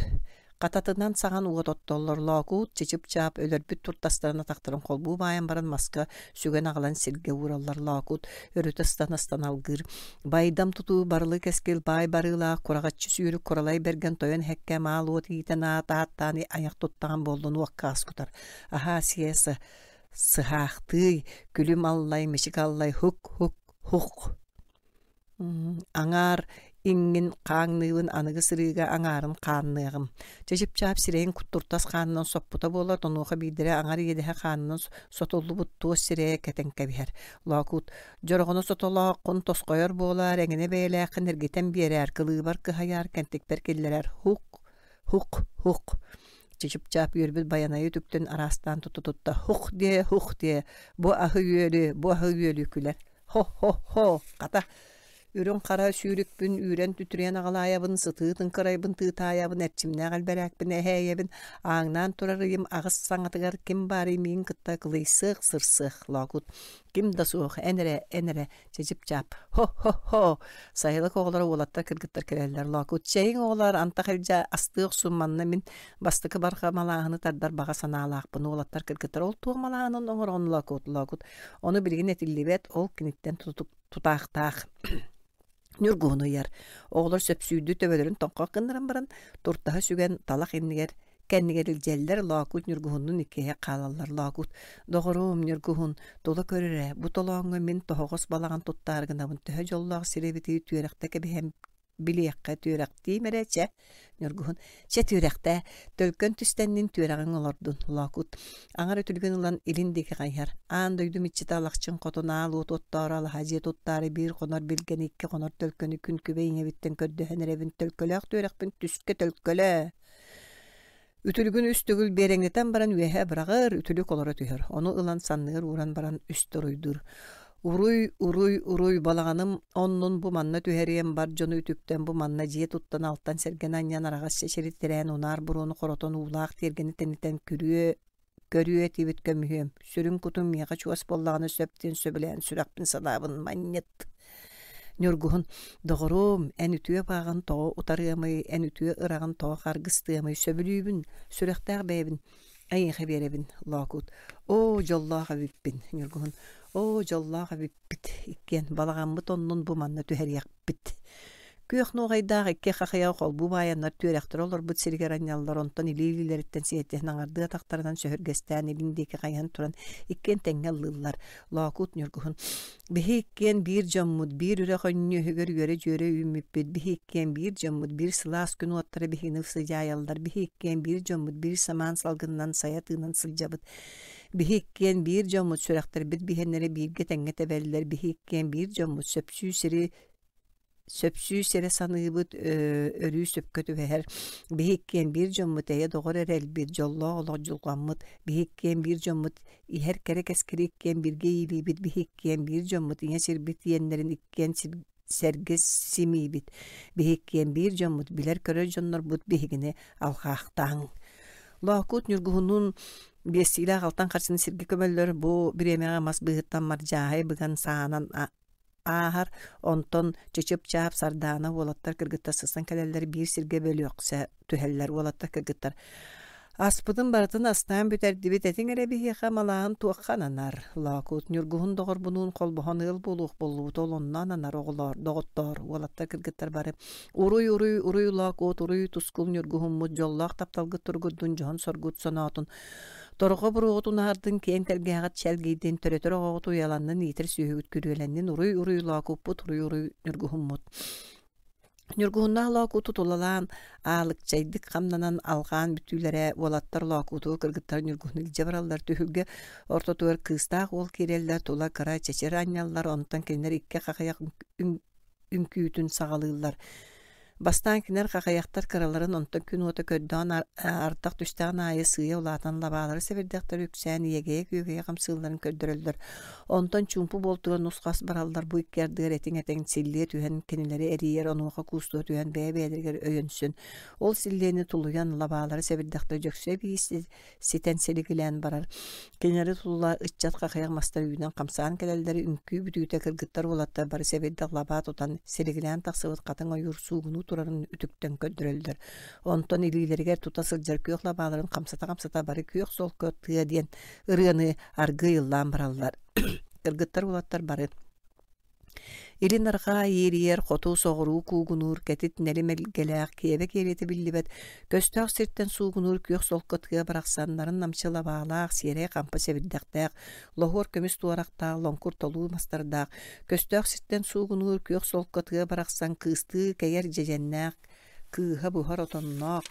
Хататынан саҕан уот оттоллор, Лоокуут, чычып-чаап өлөрбүт туртастарын атахтарын холбуу баайан баран маска сүгэн аҕалан сиргэ уураллар. Лоокуут өрүтэ ыстан-ыстан алгыыр. Байдам тутуу барылы кэскил баай барыылаах кураҕаччы сүүрүк куралай бэргэн тойон эһэккэ маал уот иитэн аат ааттаан айах туттаҕан буоллун уокка ас кутар. Аһаа сиэса сыһаахтыый, күлүм аллай, мичик аллай, һук-һук, һук. Аҥаар иҥҥин хааҥныыбын, аныгы сырыыга аҥаарын хаанныаҕым. Чычып-чаап сирэйин куттуртас хаанынан соппута буолар, онуоха биирдэрэ аҥар иэдэһэ хаанынан сотуллубут туос сирэйэ кэтэн кэбиһэр. Лоокуут дьороҕоно сотолооххун тосхойор буолаар, эҥинэ бэйэлээххин эргитэн биэрээр, кылыыбар кыһайаар, кэнтикпэр киллэрэр. Һук, һук, һук. Чычып-чаап үөрбүт Байанайы үтүктэн араастаан туту-тутта «Һух диэ, һух диэ, бу аһы-үөлү, бу аһы-үөлү» күлэр. «Хо-хо-хо, хата, үрүҥ-хара сүүрүкпүн үүрэн-түтүрүйэн аҕалаайабын, сытыы тыҥкырайбын тыытаайабын, эрчимнээх элбэрээкпин эһээйэбин, ааҥнаан турар ыйым аҕыс саҥатыгар ким баарый миигин кытта кылыйсыах, сырсыах, Лоокут. Ким да суох, эн эрэ, эн эрэ, Чычып-чаап «Хо-хо-хо!» Сайылык оҕолоро уолаттар кыргыттар кэлэллэр Лоокут «Чэйиҥ оҕолоор, антах илдьэ астыы охсун манна мин бастакы барҕа малааһыны тардар баҕа санаалаахпын» уолаттар кыргыттар «Ол туох малааһынын оҥороҕун Лоокут?» Лоокут «Ону билигин этиллибэт, ол киниттэн тутаахтаах» Ньургуһун ыйар. Оҕолор сөпсүүрдүү төбөлөрүн тоҥхох гыннаран баран, туртаһы сүгэн талах иннигэр Кэннигэр илдьэллэр, Лоокуут Ньургуһуннуун иккиһэ хаалаллар. Лоокуут: «Доҕоруом, Ньургуһун, тула көр эрэ, бу толооҥҥо мин тоһоҕос балаҕан туттаары гынабын, төһө дьоллоох сир эбитий, түөрэхтэ кэбиһэн билиэххэ түөрэхтиим эрэ, чэ». Ньургуһун: «Чэ, түөрэхтээ, төлкөн түстэннин түөрэҕиҥ олордун». Лоокуут аҥар үтүлүгүн ылан илин диэки хайыһар. Аан дойду иччитэ Алахчын хотун аал уот оттоору алаһа дьиэ туттаары биир хонор билгэни, икки хонор төлкөнү күн күбэй ийэбиттэн көрдөһөн эрэбин, төлкөлөөх түөрэхпин түскэ төлкөлөө. Үтүлүгүн үс төгүл биэрэҥнэтэн баран үөһэ быраҕар, үтүлүк олоро түһэр. Ону ылан санныгар ууран баран үстэ уруйдуур. Уруй, уруй, уруй, балаҕаным оннун бу манна түһэриэм, бар дьону үтүктэн бу манна дьиэ туттан алтан сэргэни анньан араҕас чэчири тирээн унаар буруону хоротон уулаах тиэргэни тэнитэн күрүө көрүө этибит көмүһүөм, сүрүн кутум миэхэ чугас буоллаҕына сөп диэн сөбүлээн сүрэхпин санаабын манньыт. Ньургуһун, доҕоруом, эн үтүө бааҕын тоҕо утарыамый, эн үтүө ыраҕын тоҕо харгыстыамый, сөбүлүүбүн, сүрэхтээх бэйэбин эйиэхэ биэрэбин, Лоокуут. Оо, дьоллоох эбиппин, Ньургуһун. Оо, дьоллоох эбиппит, иккиэн балаҕаммыт оннун бу манна түһэриэхпит. Күөх нуоҕайдаах икки хахыйаҕы холбуу баайаннар түөрэхтэрэ олорбут сиригэр анньаллар, онтон илии-илиилэриттэн сиэтиһэн аҥардыы атахтарынан сөһүргэстээн илин диэки хайыһан туран иккиэн тэҥҥэ ыллыыллар. Лоокуут Ньургуһун «Биһи иккиэн биир дьоммут, биир үрэх өнньүөһүгэр үөрэ-дьүөрэ үүммүппүт, биһи иккиэн биир дьоммут, биир сылаас күн уоттара биһигини сыдьаайаллар, биһи иккиэн биир дьоммут, биир самаан салгынынан сайа тыынан сылдьабыт, биһи иккиэн биир дьоммут, сүрэхтэрбит биһиэннэрэ бииргэ тэҥҥэ тэбэллэр, биһи иккиэн биир дьоммут, сөпсүү сири сөпсүү сирэ саныыбыт, өрүү сөпкө түбэһэр. Биһи иккиэн биир дьоммут, эйэ доҕор эрэлбит, дьоллоох олох дьулҕаммыт. Биһи иккиэн биир дьоммут, иһэр кэрэ кэскили иккиэн бииргэ иилиибит. Биһи иккиэн биир дьоммут, ийэ сирбит иэннэрин иккиэн сэргэ симиибит. Биһи иккиэн биир дьоммут, билэр-көрөр дьоннорбут биһигини алҕаахтааҥ. Лоокуут Ньургуһуннуун биэстиилээх алтан харчыны сиргэ көмөллөр. Бу бириэмэҕэ мас быыһыттан мардьааһай быган саанан ааһар, онтон чычып-чаап Сардаана уолаттар кыргыттар сыстан кэлэллэр биир сиргэ бөлүөхсэ түһэллэр уолаттар кыргыттар Аспытын барытын астаан бүтэрдибит, этиҥ эрэ биһиэхэ малааһын туохха ананар? Лоокуут Ньургуһун доҕорбунуун холбоһон ыал буолуох буоллубут, ол онно ананар оҕолоор, доҕоттоор, уолаттар кыргыттар бары Уруй, уруй, уруй Лоокуут, уруй тускул Ньургуһуммут, дьоллоох тапталгыт туругурдун, дьоһун соргут соноотун. Торҕо буруоҕутун аһардын, киэҥ тэлгэһэҕит чэлгийдин, төрөтөр оҕоҕут уйаланнын, иитэр сүөһүгүт күрүөлэннин, уруй-уруй лоокуппут, уруй-уруй ньургуһуммут. Ньургуһуннаах лоокууту тулалаан, аалыкчайдык хамнанан алҕаан бүтүүлэрэ уолаттар лоокууту кыргыттар ньургуһуну илдьэ бараллар түһүлгэ ортотугар кыыстаах уол киирэллэр тула кыра чэчир анньаллар онтон кинилэр икки хахыйах үҥкүүтүн саҕалыыллар. Бастаан кинилэр хахайахтар кыраларын, онтон күн уота көрдөөн ардах түстэҕин аайы сыыйа улаатан лабаалара сэбирдэхтэрэ үксээн иэгэйэ-күөгэйэ хамсыылларын көрдөрөллөр. Онтон чуумпу буолтугар нус-хас бараллар бу икки ардыгар этиҥ-этиҥ силлиэ түһэн кинилэри эрийэр, онуоха куустуһа түһэн бэйэ-бэйэлэригэр өйөнсөн, ол силлиэни тулуйан лабаалара сэбирдэхтэрэ дьөксө эбии ситэн силигилээн барар. Кинилэри тула ыччат хахыйах мастар үүнэн хамсаан кэлэллэр, үҥкүү бүтүүтэ кыргыттар уолаттар бары сэбирдэх лабаа тутан силигилээн тахсыбыт хатыҥ ойуур суугунуу турарын үтүктэн көрдөрөллөр. Онтон илиилэригэр тута сылдьар күөх лабааларын хамсата-хамсата бары күөх солко тыа диэн ырыаны аргыый ыллаан бараллар. Кыргыттар уолаттар бары Илин арҕаа иэрийэр, хоту соҕуруу куугунуур, кэтит нэлим элгэлээх, киэбэ киэлитэ биллибэт, көстөөх сиртэн суугунуур күөх солко тыа барахсан нарын намчы лабаалаах, сиэрэй хампа сэбирдэхтээх, лоһуор көмүс туорахтаах, лоҥкур толуу мастардаах, көстөөх сиртэн суугунуур күөх солко тыа барахсан кыыстыы кэйэр дьэдьэннээх, кыыһа буһар отонноох,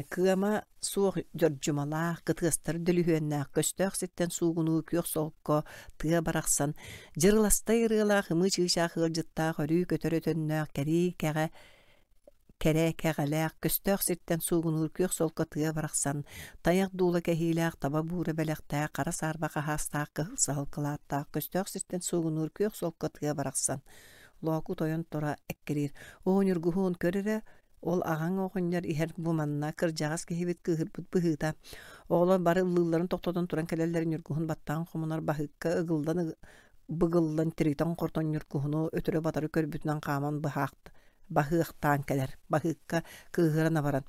Кыама суох дьордьумалаах, кытыастар дөлүһүөннээх, көстөөх сиртэн суугунуу күөх солко тыа барахсан, дьырыластай ырыалаах ымыы чыычаах ыалдьыттаах өрүү көтөр өтөннөөх кэрии кэҕэ кэрэ кэҕэлээх, көстөөх сиртэн суугунуур күөх солко тыа барахсан, тайах дуула кэһиилээх, таба буура бэлэхтээх, хара саарба хаһаастаах, кыһыл саһыл кылааттаах, көстөөх сиртэн суугунуур күөх солко тыа барахсан. Лоокут ойон тура эккириир. Оо, Ньургуһун, көр эрэ, Ол аҕаҥ оҕонньор иһэр бу манна кырдьаҕас киһибит кыыһырбыт быһыыта. Оҕолор бары ыллыылларын тохтотон туран кэлэллэр Ньургуһун баттаҕын хомунар баһыыкка ыгыллан быгыллан тиритэн-хортон Ньургуһуну өтөрү-батары көрбүтүнэн хааман баһыахтаан кэлэр. Баһыыкка кыыһыран абаран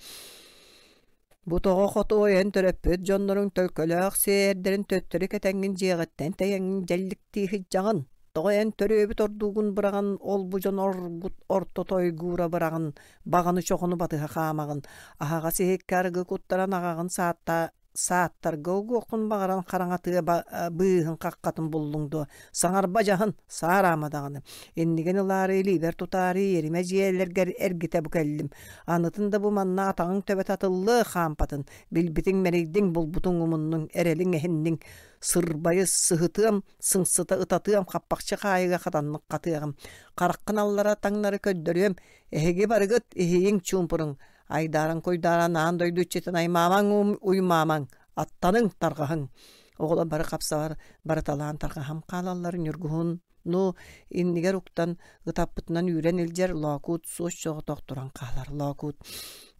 Бу тоҕо хотуой эн төрөппүт дьонноруҥ төлкөлөөх сиэрдэрин төттөрү кэтэҥҥин дьиэҕиттэн тэйэҥҥин дьэлликтии сылдьаҕын. Тоҕо эн төрүөбүт ордуугун быраҕан, ол-бу дьон оргут ортото ойгуура быраҕан, баҕаны чоҕуну батыһа хаамаҕын, аһаҕас иһиккэ арыгы куттаран аҕаҕын саатта сааттарга угуоххун баҕаран хараҥатыа быыһын хаххатын буллуҥ дуо? Саҥарба дьаһын, саараама даҕаны. Иннигин ылаары илиибэр тутаары иэримэ дьиэлэргэр эргитэ бу кэллим. Анытын да бу манна атаҕыҥ төбөтө атыллыа хаампатын. Билбитиҥ мэрийдиҥ, булбутуҥ умуннуҥ, эрэлиҥ эһинниҥ. Сырбайы сыһытыам, сыҥсыта ытатыам, хаппахчы хаайыга хатаннык хатыаҕым. Хараххын аллара таҥнары көрдөрүөм. Эһиги барыгыт иһийиҥ чуумпуруҥ. Айдааран-куйдааран аан дойду иччитин аймаамаҥ уймаамаҥ, аттаныҥ, тарҕаһыҥ. Оҕолор бары хапсаҕар барыталаан тарҕаһан хаалаллар Ньургуһун ну иннигэр уктан ытаппытынан үүрэн илдьэр Лоокуут суос соҕотох туран хаалар Лоокуут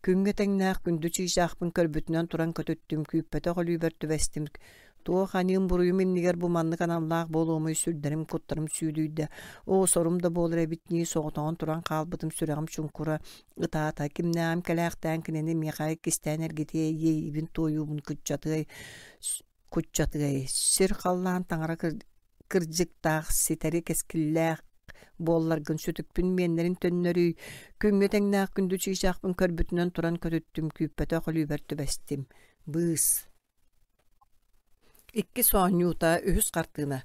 күҥҥэ тэҥнээх күндү чыычаахпын көрбүтүнэн туран көтүттүм күүппэтэх өлүүбэр түбэстим Туох аньыым-буруйум иннигэр бу маннык аналлаах буолуомуй сүрдэрим куттарым сүүдүйдэ. Оо, сорум да буолар эбит нии соҕотоҕун туран хаалбытым сүрэҕим чуҥкура ытаата. Кимнээҕим кэлээхтээн кинини миэхэ иккистээн эргитиэй, иэйиибин туойуубун кыччатыай, куччатыай. Сир-халлаан таҥара кырдьыктаах, ситэри кэскиллээх буолларгын сүтүкпүн миэннэрин төннөрүй, күҥҥэ тэҥнээх күндү чыычаахпын көрбүтүнэн туран көтүттүм, күүппэтэх өлүүбэр түбэстим. Быыс Иккис оонньуута, үһүс хартыына.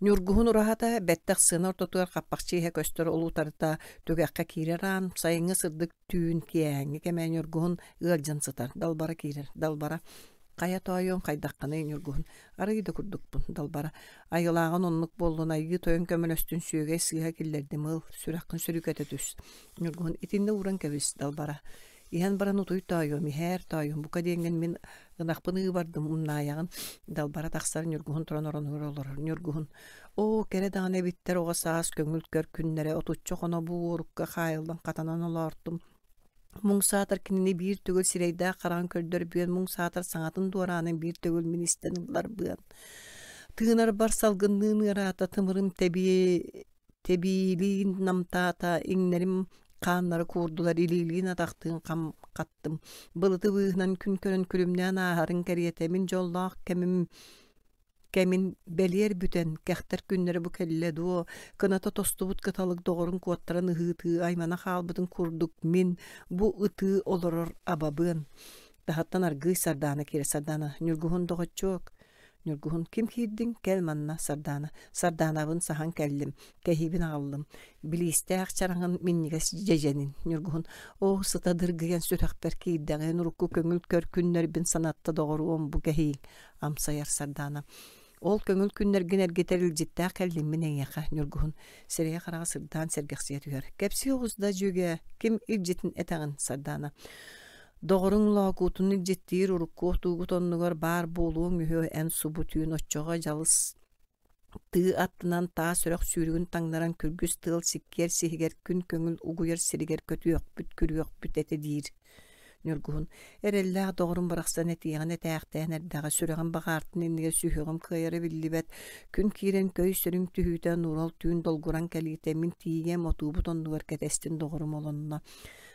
Ньургуһун ураһата бэттэх сыана ортотугар хаппахчы иһэ көстөр улуутарыта түгэххэ киирэр аан, сайыҥҥы сырдык түүн киэһээҥҥи кэмэ Ньургуһун ыалдьан сытар, далбара киирэр, далбара «Хайа тоойуом хайдаххыный Ньургуһун, арыый да курдукпун, далбара айылааҕын оннук буоллун, айыы тойон көмөлөстүн сүөгэй сыыһа киллэрдим ыл, сүрэххин сүрүкэтэ түс, Ньургуһун итиннэ ууран кэбис, далбара Иһэн баран утуй тоойуом, иһээр тоойуом, бука диэҥҥин мин ынахпын ыыбардым, умнаайаҕын, далбара тахсар Ньургуһун туран оронугар олорор. Ньургуһун, оо, кэрэ даҕаны эбиттэр оҕо саас көҥүл көр күннэрэ, отучча хоно бу уорукка хаайыллан хатанан олоортум. Муҥ саатар кинини биир төгүл сирэйдээх хараҕын көрдөрбүөн, муҥ саатар саҥатын дуораанын биир төгүл мин истэн ылларбыан. Тыынарбар салгынныын ыараата, тымырым тэбиэ Тэбиилиин намтаата, иҥнэрим хааннара куурдулар, илиилиин атахтыын хам хаттым. Былыты быыһынан күн көрөн күлүмнээн ааһарын кэриэтэ мин дьоллоох кэмим кэмин бэлиэр бүтэн, кэхтэр күннэрэ бу кэллэ дуо, кыната тостубут кыталык доҕорун куоттаран ыһыытыы аймана хаалбытын курдук мин бу ытыы олорор абабыан. Таһыттан аргыый Сардаана киирэ Сардаана, Ньургуһун доҕоччуок, Ньургуһун ким киирдиҥ, кэл манна, Сардаана. Сардаанабын саһан кэллим, кэһиибин аҕаллым. Билиистээх чараҥын минньигэс дьэдьэнин. Ньургуһун оо, сыта дыргыйан сүрэхпэр киирдэҕин, урукку көҥүл көр күннэрбин санатта доҕоруом бу кэһииҥ, амсайар Сардаана. Ол көҥүл күннэргин эргитэр илдьиттээх кэллим мин эйиэхэ, Ньургуһун сирэйэ-хараҕа сырдаан сэргэхсийэ түһэр. Кэпсии оҕус да, дьүөгэ, ким илдьитин этэҕин, Сардаана. Доҕоруҥ Лоокуутун илдьиттиир урукку отуугут оннугар баар буолуоҥ үһү эн субу түүн оччоҕо дьалыс тыы аттынан таас үрэх сүүрүгүн таҥнаран күргүс тыал сиккиэр сиһигэр күн көҥүл угуйар сиригэр көтүөхпүт күрүөхпүт этэ диир Ньургуһун эрэллээх доҕорум барахсан этиэҕин этээхтээн эрдэҕэ сүрэҕим баҕаартын иннигэр сүһүөҕүм кыайара биллибэт күн киирэн көй сөрүҥ түһүүтэ нуурал түүн долгуран кэлиитэ мин тиийиэм отуубут оннугар кэтэстин доҕорум олонно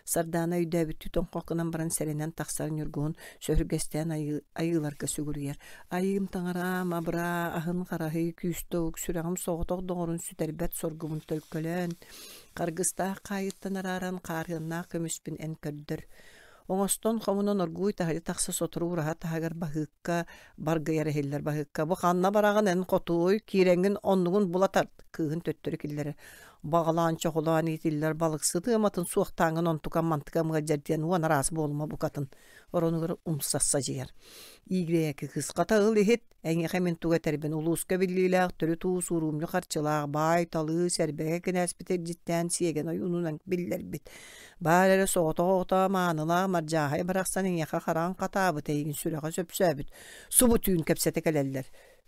Сардаана өйдөөбүттүү тоҥхох гынан баран сэрэнэн тахсар Ньургуһун сөһүргэстээн айыыларга сүгүрүйэр. Айыым таҥараам, абыраа, аһын хараһый, күүстэ ук, сүрэҕим соҕотох доҕорун сүтэрбэт соргубун төлкөлөөн, харгыстаах хаайыттан арааран хаарыаннаах көмүспүн эн көрдөр. Оҥостон хомунан оргууй таһырдьа тахса сотору ураһа таһыгар баһыыкка баргыйар иһиллэр баһыыкка бу ханна бараҕын эн хотуой киирэҥҥин оннугун була тарт кыыһын төттөрү киллэрэр баҕалаан чоҕулаан иитиллэр балыксыт ыаматын суохтааҥҥын онтукам-мантыкам ыалдьар диэн уон араас буолума букатын оронугар умса садьыйар. Иигирээки кыыс хата ыл иһит, эйиэхэ мин тугу этэрбин улууска биллиилээх төрүт уус уруумньу харчылаах баай-талыы сэрбэгэ кинээспит илдьиттээн сиэгэн ойуунунан биллэрбит. Баар эрэ соҕотох оҕото маанылаах Мардьааһай барахсан эйиэхэ хараҕын хатаабыт эйигин сүрэҕэ сөпсөөбүт. Субу түүн кэпсэтэ кэлэллэр.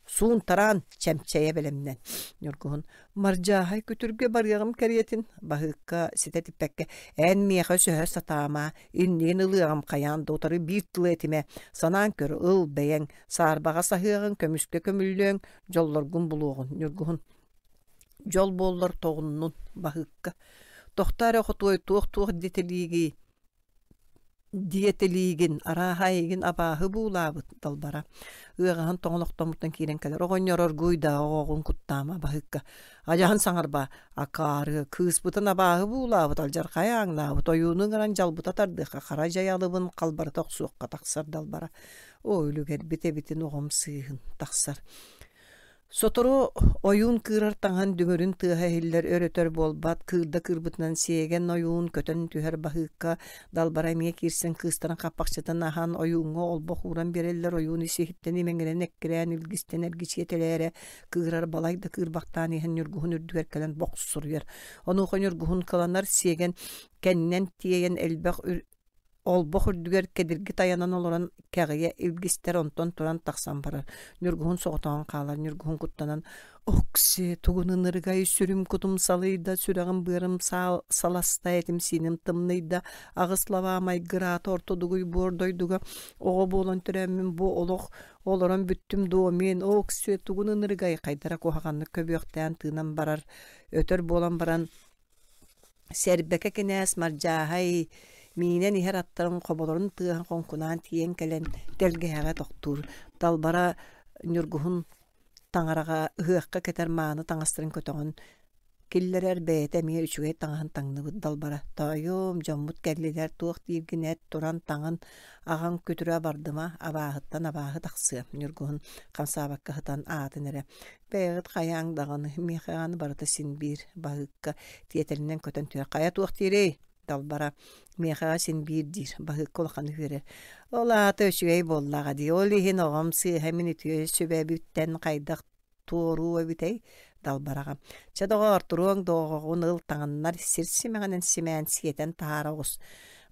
Суун-тараан, чэмчэйэ бэлэмнэн. Ньургуһун «Мардьааһай күтүргэ барыаҕым кэриэтин» Баһыыкка ситэ типпэккэ «Эн миэхэ өсөһө сатаама, иннигин ылыаҕым хайаан да утары биир тылы этимэ, санаан көр, ыл бэйэҥ, саарбаҕа саһыаҕыҥ, көмүскэ көмүллүөҥ, дьоллоргун булуоҕун». Ньургуһун «Дьол буоллар тоҕуннун, Баһыыкка, тохтоо эрэ хотуой, туох-туох дэтэлиигий?» Диэтэлиигин, арааһа эйигин абааһы буулаабыт далбара. Ыаҕаһын тоҥолохтоммуттан киирэн кэлэр. Оҕонньор оргууй да оҕоҕун куттаама баһыыкка. Адьаһын саҥарба, акаары, кыыспытын абааһы буулаабыт, алдьархай ааҥнаабыт, ойууну ыҥыран дьалбыта тардыахха, хара дьай алыбын халбарыта охсуохха тахсар далбара. Оо, үлүгэрбит эбитин оҕом сыыһын тахсар. Сотору ойуун кыырар таҥаһын дүҥүрүн тыаһа иһиллэр өр-өтөр буолбат, кыырда кыырбытынан сиэгэн ойуун көтөн түһэр баһыыкка далбара эмиэ киирсэн кыыстарын хаппахчытын аһан ойууҥҥа олбох ууран биэрэллэр ойуун ис-иһиттэн имэҥирэн эккирээн илгистэн эргичиэтэлээрэ кыырар балай да кыырбахтаан иһэн ньургуһун үрдүгэр кэлэн бохсуруйар. Онуоха ньургуһун кыланар сиэгэн кэннинэн тиэйэн элбэх Олбох үрдүгэр кэдирги тайанан олорон кэҕийэ илгистэр, онтон туран тахсан барар. Ньургуһун соҕотоҕун хаалар, Ньургуһун куттанан «Окси, тугун ынырыгай, сүрүм-кутум салыйда, сүрэҕим-быарым саласта, этим-сииним тымныйда, аҕыс лабаа майгыраата орто дугуй буор дойдуга оҕо буолан төрөөммүн бу олох олорон бүттүм дуо мин, Окси, тугун ынырыгай» хайдара куһаҕаннык көбүөхтээн тыынан барар, өтөр буолан баран Сэрбэкэ кинээс Мардьааһай миинэн иһэр аттарын хоболорун тыаһын хоҥкунаан тиийэн кэлэн тэлгэһэҕэ тохтуур, Далбара Ньургуһун таҥараҕа ыһыахха кэтэр мааны таҥастарын көтөҕөн киллэрэр, бэйэтэ эмиэ үчүгэй таҥаһын таҥныбыт Далбара: «Тоойуом, дьоммут кэллилэр, туох дииргин эт, туран таҥын, аҕаҥ күтүрэ абардыма, абааһыттан абааһы тахсыа» Ньургуһун хамсаабакка сытан аатын эрэ Бэйэҕит хайааҥ даҕаны, миэхэ аны барыта син биир баһыыкка тиэтэлинэн көтөн түһэр. Хайа туох диирий? Далбара миэхэҕэ син биир диир, баһыыкка улаханы үөрэр. Ол аата үчүгэй буоллаҕа дии, ол иһин оҕом сыыһа мин үтүө сүбэбиттэн хайдах туоруу эбитэй? Далбараҕа. Чэ доҕоор, туруоҥ да оҕоҕун ыл таҥыннар, сир симэҕинэн симээн сиэтэн таһаара оҕус.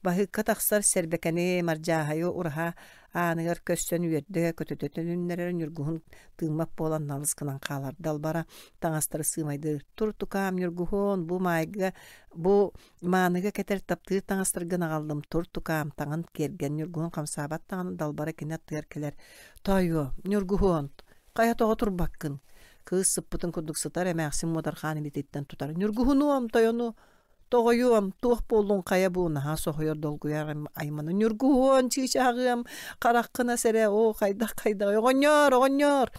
Баһыыкка тахсар сэрбэкэни, мардьааһайы ураһа ааныгар көрсөн үөрдэ көтүтэ төнүннэрэр Ньургуһун тыыммат буолан налыс гынан хаалар. Далбара таҥастары сыымайдыыр. Тур тукаам Ньургуһун, бу маайга, бу мааныга кэтэр таптыыр таҥастаргын аҕаллым. Тур тукаам, таҥын киэргэн. Ньургуһун хамсаабат даҕаны Далбара кини аттыгар кэлэр. Тоойуо, Ньургуһун, хайа тоҕо турбаккын? Кыыс сыппытын курдук сытар эмээхсин муодархаан илиититтэн тутар. Ньургуһунуом, тойону Тоҕойуом, туох буоллуҥ хайа бу наһаа соһуйар долгуйар аймана Ньургуһуон, чыычааҕыам, хараххын ас эрэ, оо хайдах хайдаҕый, оҕонньоор, оҕонньоор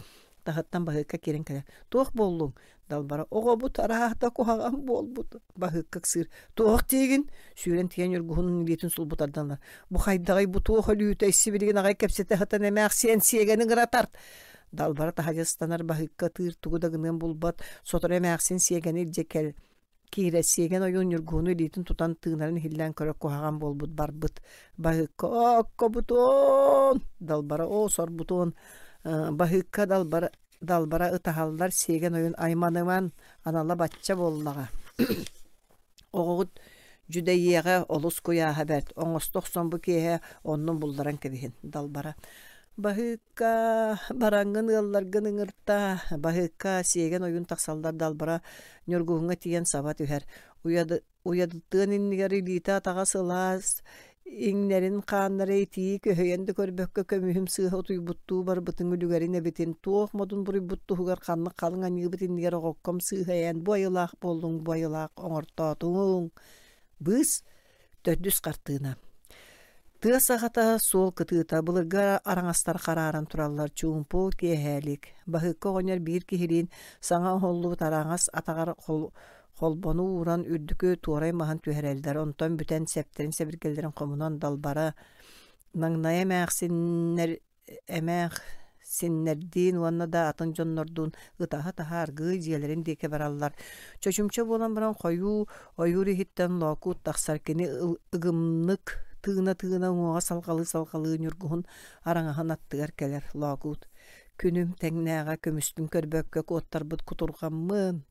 таһыттан баһыыкка киирэн кэлэр. Туох буоллуҥ? Далбара оҕобут арааһата куһаҕан буолбут. Баһыыкка ыксыыр. Туох диигин? Сүүрэн тиийэн Ньургуһунун илиитин сулбутардан ылар. Бу хайдаҕый, бу туох өлүүтэй, сибилигин аҕай кэпсэтэ сытан эмээхсиэн сиэгэни ыҥыра тарт. Далбара таһырдьа ыстанар баһыыкка ытыыр тугу да гыныан булбат. Сотору эмээхсин сиэгэни илдьэ кэл Киирэ сиэгэн ойуун Ньургуһуну илиитин тутан тыынарын иһиллээн көрө куһаҕан буолбут барбыт. Баһыыкка «Ооккобутуон!» Далбара «Оо, сорбутуон!» Баһыыкка далбара, далбара ытаһаллар сиэгэн ойуун айманыман анала бачча буоллаҕа. Оҕоҕут дьүдэйиэҕэ олус куйааһа бэрт, оҥосто охсон бу киэһэ оннун булларан кэбиһин. Далбара Баһыыкка, бараҥҥын ыалларгын ыҥыртаа, Баһыыкка сиэгэн ойуун тахсаллар Далбара Ньургуһуҥҥа тиийэн саба түһэр. Уйадытыан иннигэр илиитэ-атаҕа сылаас, иҥнэрин хааннара итии көһүйэн да көрбөккө көмүһүм сыыһа утуйбуттуу барбытын үлүгэрин эбитин, туох модун буруйбут туһугар ханнык халыҥ аньыыбыт иннигэр оҕокком сыыһа эйэн бу айылаах буоллуҥ, бу айылаах оҥортоотуҥ. Быыс Төрдүс хартыына. Тыа саҕата, суол кытыыта, былыргы араҥастар харааран тураллар, чуумпу, киэһээлик. Баһыыкка оҕонньор биир киһилиин саҥа оһоллубут араҥас атаҕар холбону ууран үрдүкү туорай маһын түһэрэллэр, онтон бүтэн сэптэрин-сэбиргэллэрин хомунан далбара маҥнай эмээхсиннэр эмээхсиннэрдиин уонна да атын дьоннордуун ытаһа-ытаһа аргыый дьиэлэрин диэки бараллар. Чочумча буолан баран хойуу ойуур иһиттэн Лоокуут тахсар кини ыгымнык тыына-тыына уҥуоҕа салҕалыы-салҕалыы Ньургуһун араҥаһын аттыгар кэлэр Лоокуут күнүм тэҥнээҕэ көмүспүн көрбөккө куоттарбыт кутурҕаммын